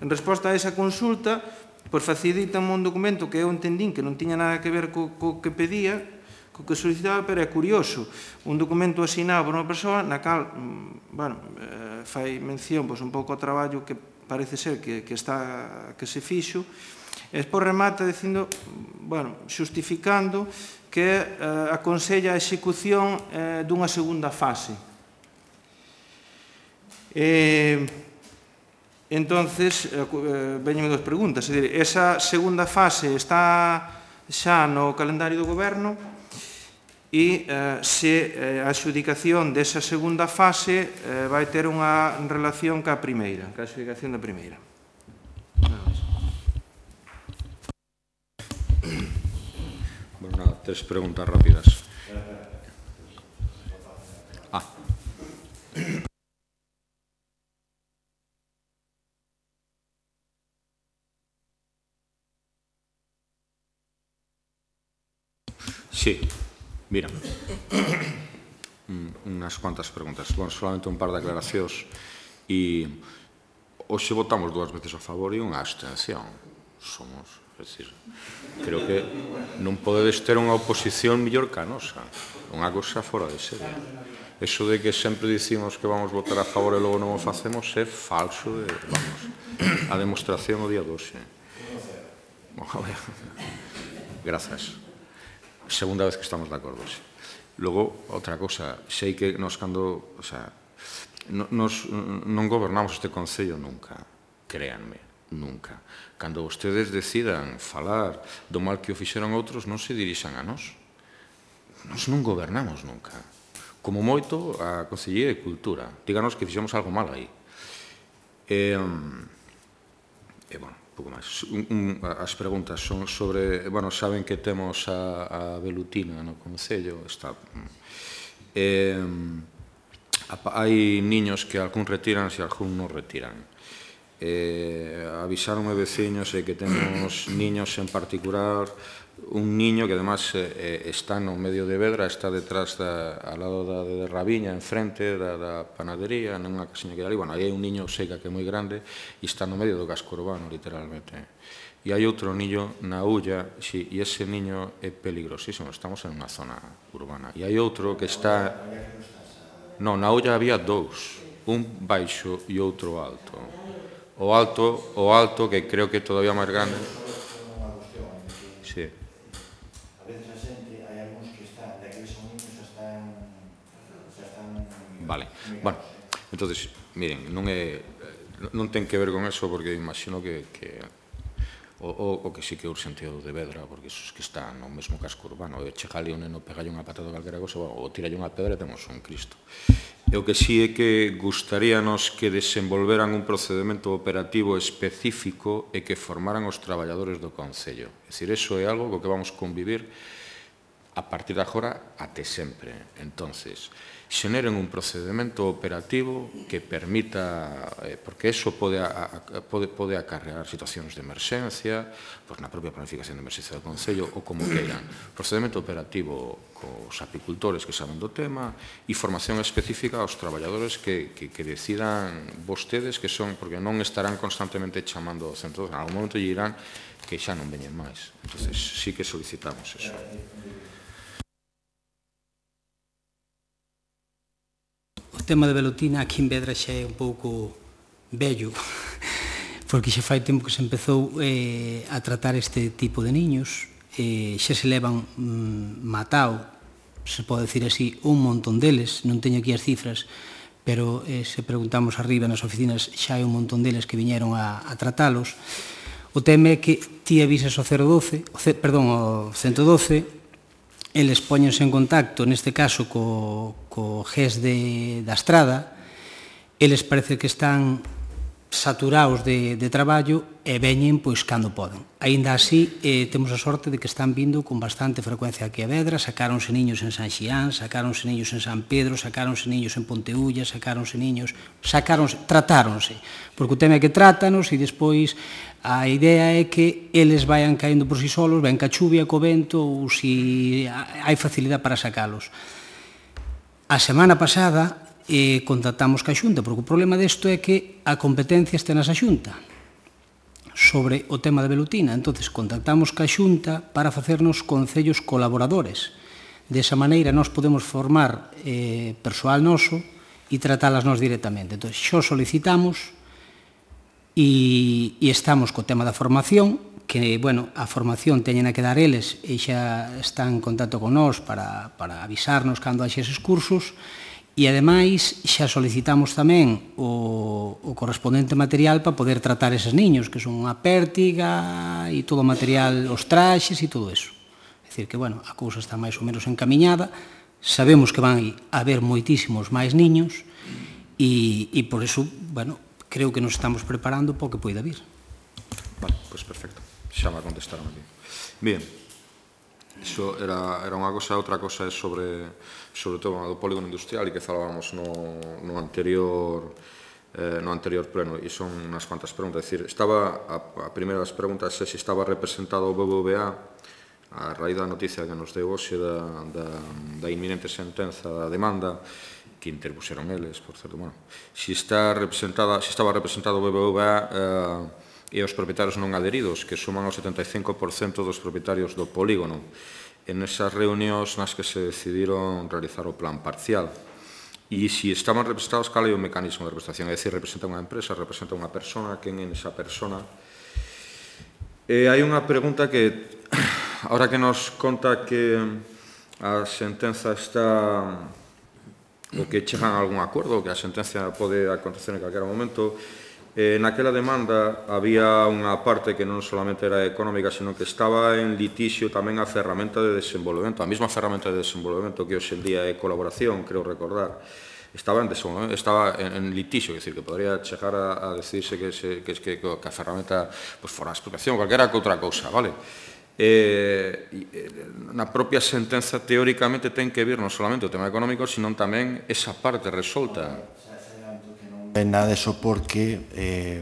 Speaker 4: resposta a esa consulta, facilítame un documento que eu entendín que non tiña nada que ver co que pedía, co que solicitaba, pero é curioso, un documento asinado por unha persoa na cal, fai mención un pouco ao traballo que parece ser que se fixo, e despois remata dicindo, xustificando que aconsella a execución dunha segunda fase. Entonces, veñen dos preguntas, é dicir, esa segunda fase está xa no calendario do Goberno e se a adxudicación desa segunda fase vai ter unha relación ca primeira, ca adxudicación da primeira.
Speaker 5: Tres preguntas rápidas. Sí, mira, unhas cuantas preguntas. Solamente un par de aclaracións. E hoxe votamos 2 veces a favor e unha abstención. Somos... É dicir, creo que non podedes ter unha oposición mellor que a nosa. Unha cosa fora de serie. Eso de que sempre dicimos que vamos votar a favor e logo non o facemos é falso. A demostración o día de hoxe. Grazas. Segunda vez que estamos de acordo. Logo, outra cosa, sei que nos cando... Nos non gobernamos este Concello nunca, créanme. Nunca. Cando vostedes decidan falar do mal que o fixeron outros, non se dirixan a nós. Nós non gobernamos nunca. Como moito, a Consellería de Cultura. Díganos que fixemos algo mal aí. Pouco máis. As preguntas son sobre... saben que temos a velutina no Concello. Hai niños que algún retiran e algún non retiran. Avisaronme veciños que temos niños en particular, un niño que además está no medio de Vedra, está detrás ao lado de Raviña, enfrente da panadería, nunha casiña que hai ali. Aí hai un niño seca que é moi grande e está no medio do casco urbano, literalmente. e hai outro niño na Ulla, sí, e ese niño é peligrosísimo, estamos en unha zona urbana. E hai outro que está... Non, na Ulla había dous, un baixo e outro alto. O alto, que creo que é todavía máis grande... Sí.
Speaker 1: A veces a xente, hai algúns que están, de que son niños, xa están...
Speaker 5: Vale, bueno, entonces, miren, non ten que ver con eso, porque imagino que o que sí que é urxente o de Vedra, porque esos que están no mesmo casco urbano, e chegalle un neno, pegalle unha patada ou calquera cosa, ou tiralle unha pedra e temos un Cristo. E o que sí é que gustaríanos que desenvolveran un procedimento operativo específico e que formaran os traballadores do Concello. É dicir, eso é algo co que vamos convivir a partir de agora até sempre. Entonces, xeneren un procedimento operativo que permita, porque eso pode acarrear situacións de emerxencia, pois na propia planificación de emerxencia do Concello, ou como queiran. Procedimento operativo cos apicultores que saben do tema e formación específica aos traballadores que decidan vostedes que son, porque non estarán constantemente chamando ao centro, en algún momento lle dirán que xa non veñen máis. Entonces, sí que solicitamos eso.
Speaker 6: O tema de velutina aquí en Vedra xa é un pouco vello, porque xa fai tempo que se empezou a tratar este tipo de niños, xa se levan matao, se pode decir así, un montón deles, non teño aquí as cifras, pero se preguntamos arriba nas oficinas xa hai un montón deles que viñeron a tratalos. O tema é que ti avisas ao 112, eles poñense en contacto, neste caso, co GES da Estrada, eles parece que están saturados de traballo e veñen pois cando poden. Aínda así, temos a sorte de que están vindo con bastante frecuencia aquí a Vedra, sacáronse niños en San Xián, sacáronse niños en San Pedro, sacáronse niños en Ponteulla, tratáronse, porque o tema é que trátanos e despois a idea é que eles vayan caendo por si solos, ven ca chuvia, co vento, ou si hai facilidade para sacalos. A semana pasada contactamos ca Xunta, porque o problema desto é que a competencia está na Xunta sobre o tema da velutina. Entonces, contactamos ca Xunta para facernos concellos colaboradores. Desa maneira, nós podemos formar persoal noso e tratalas nós directamente. Entón, xo solicitamos e estamos co tema da formación, que, bueno, a formación teñen que dar eles e xa están en contacto con nós para avisarnos cando haxe eses cursos. E, ademais, xa solicitamos tamén o correspondente material para poder tratar eses niños, que son unha pértiga e todo o material, os traxes e todo eso. É dicir, que, bueno, a cousa está máis ou menos encamiñada, sabemos que van a haber moitísimos máis niños e, por eso, bueno, creo que nos estamos preparando para o que poida vir.
Speaker 5: Vale, pois perfecto. Xa me contestaron aquí. Bien. Iso era unha cosa, outra cosa é sobre o tema do polígono industrial e que falábamos no anterior pleno, e son unhas cuantas preguntas. É dicir, estaba a primeira das preguntas é se estaba representado o BBVA a raíz da noticia que nos deu hoxe da inminente sentenza da demanda que interpuseron eles, por certo, bueno, se estaba representado o BBVA e os propietarios non adheridos, que suman o 75% dos propietarios do polígono, en esas reunións nas que se decidiron realizar o plan parcial. E se estaban representados, cal é o mecanismo de representación? É dicir, representa unha empresa, representa unha persona, quen é esa persona? E hai unha pregunta que, ahora que nos conta que a sentenza está, ou que chegan a algún acordo, ou que a sentencia pode acontecer en calquera momento, naquela demanda había unha parte que non solamente era económica, sino que estaba en litixio tamén a ferramenta de desenvolvemento, a mesma ferramenta de desenvolvemento que hoxe en día é colaboración, creo recordar, estaba en litixio, é dicir, que podría chegar a decidirse que a ferramenta fora a expropiación, calquera que outra cousa, vale? Na propia sentenza, teóricamente, ten que vir non solamente o tema económico, sino tamén esa parte resolta.
Speaker 1: Nada deso porque,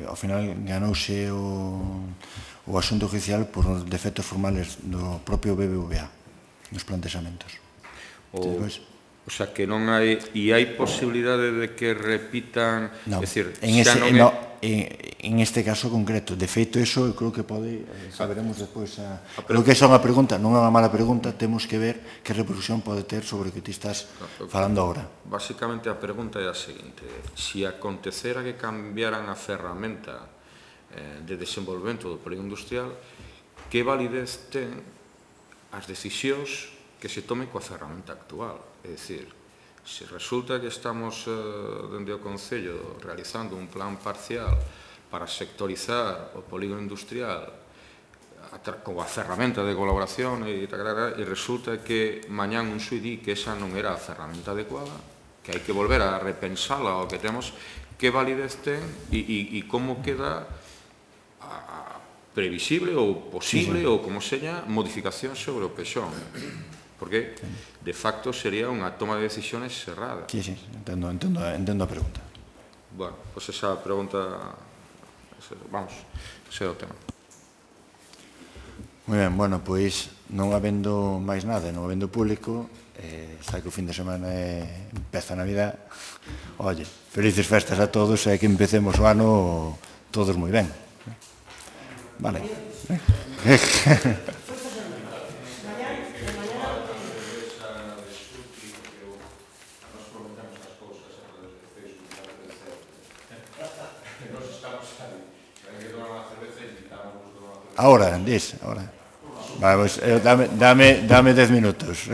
Speaker 1: ao final, ganouse o asunto oficial por defectos formales do propio BBVA nos plantexamentos.
Speaker 5: O sea, que non hai... E hai posibilidade de que repitan...
Speaker 1: Non,
Speaker 5: É dicir,
Speaker 1: en,
Speaker 5: xa
Speaker 1: ese,
Speaker 5: non é...
Speaker 1: no, en este caso concreto. De feito, eso eu creo que pode... Saberemos despois. Creo que esa é unha pregunta, non é unha mala pregunta, temos que ver que repercusión pode ter sobre o que ti estás falando agora.
Speaker 5: Basicamente, a pregunta é a seguinte. Se acontecera que cambiaran a ferramenta de desenvolvemento do polígono industrial, que validez ten as decisións que se tome coa ferramenta actual? É dicir, se resulta que estamos dende o Concello realizando un plan parcial para sectorizar o polígono industrial coa ferramenta de colaboración e resulta que mañán un xuiz di que esa non era a ferramenta adecuada, que hai que volver a repensala o que temos, que validez ten e como queda previsible ou posible ou como seña modificación sobre o PEXON. Porque, de facto, sería unha toma de decisiones cerrada.
Speaker 1: Sí, entendo a pregunta.
Speaker 5: Bueno, pues esa pregunta... Vamos, ese é o tema.
Speaker 1: Moi ben, bueno, pois non habendo máis nada, non habendo público, xa que o fin de semana empeza a Navidad, oye, felices festas a todos e que empecemos o ano todos moi ben. Vale. Ahora, dis, ahora. Vale, pues, dame 10 minutos.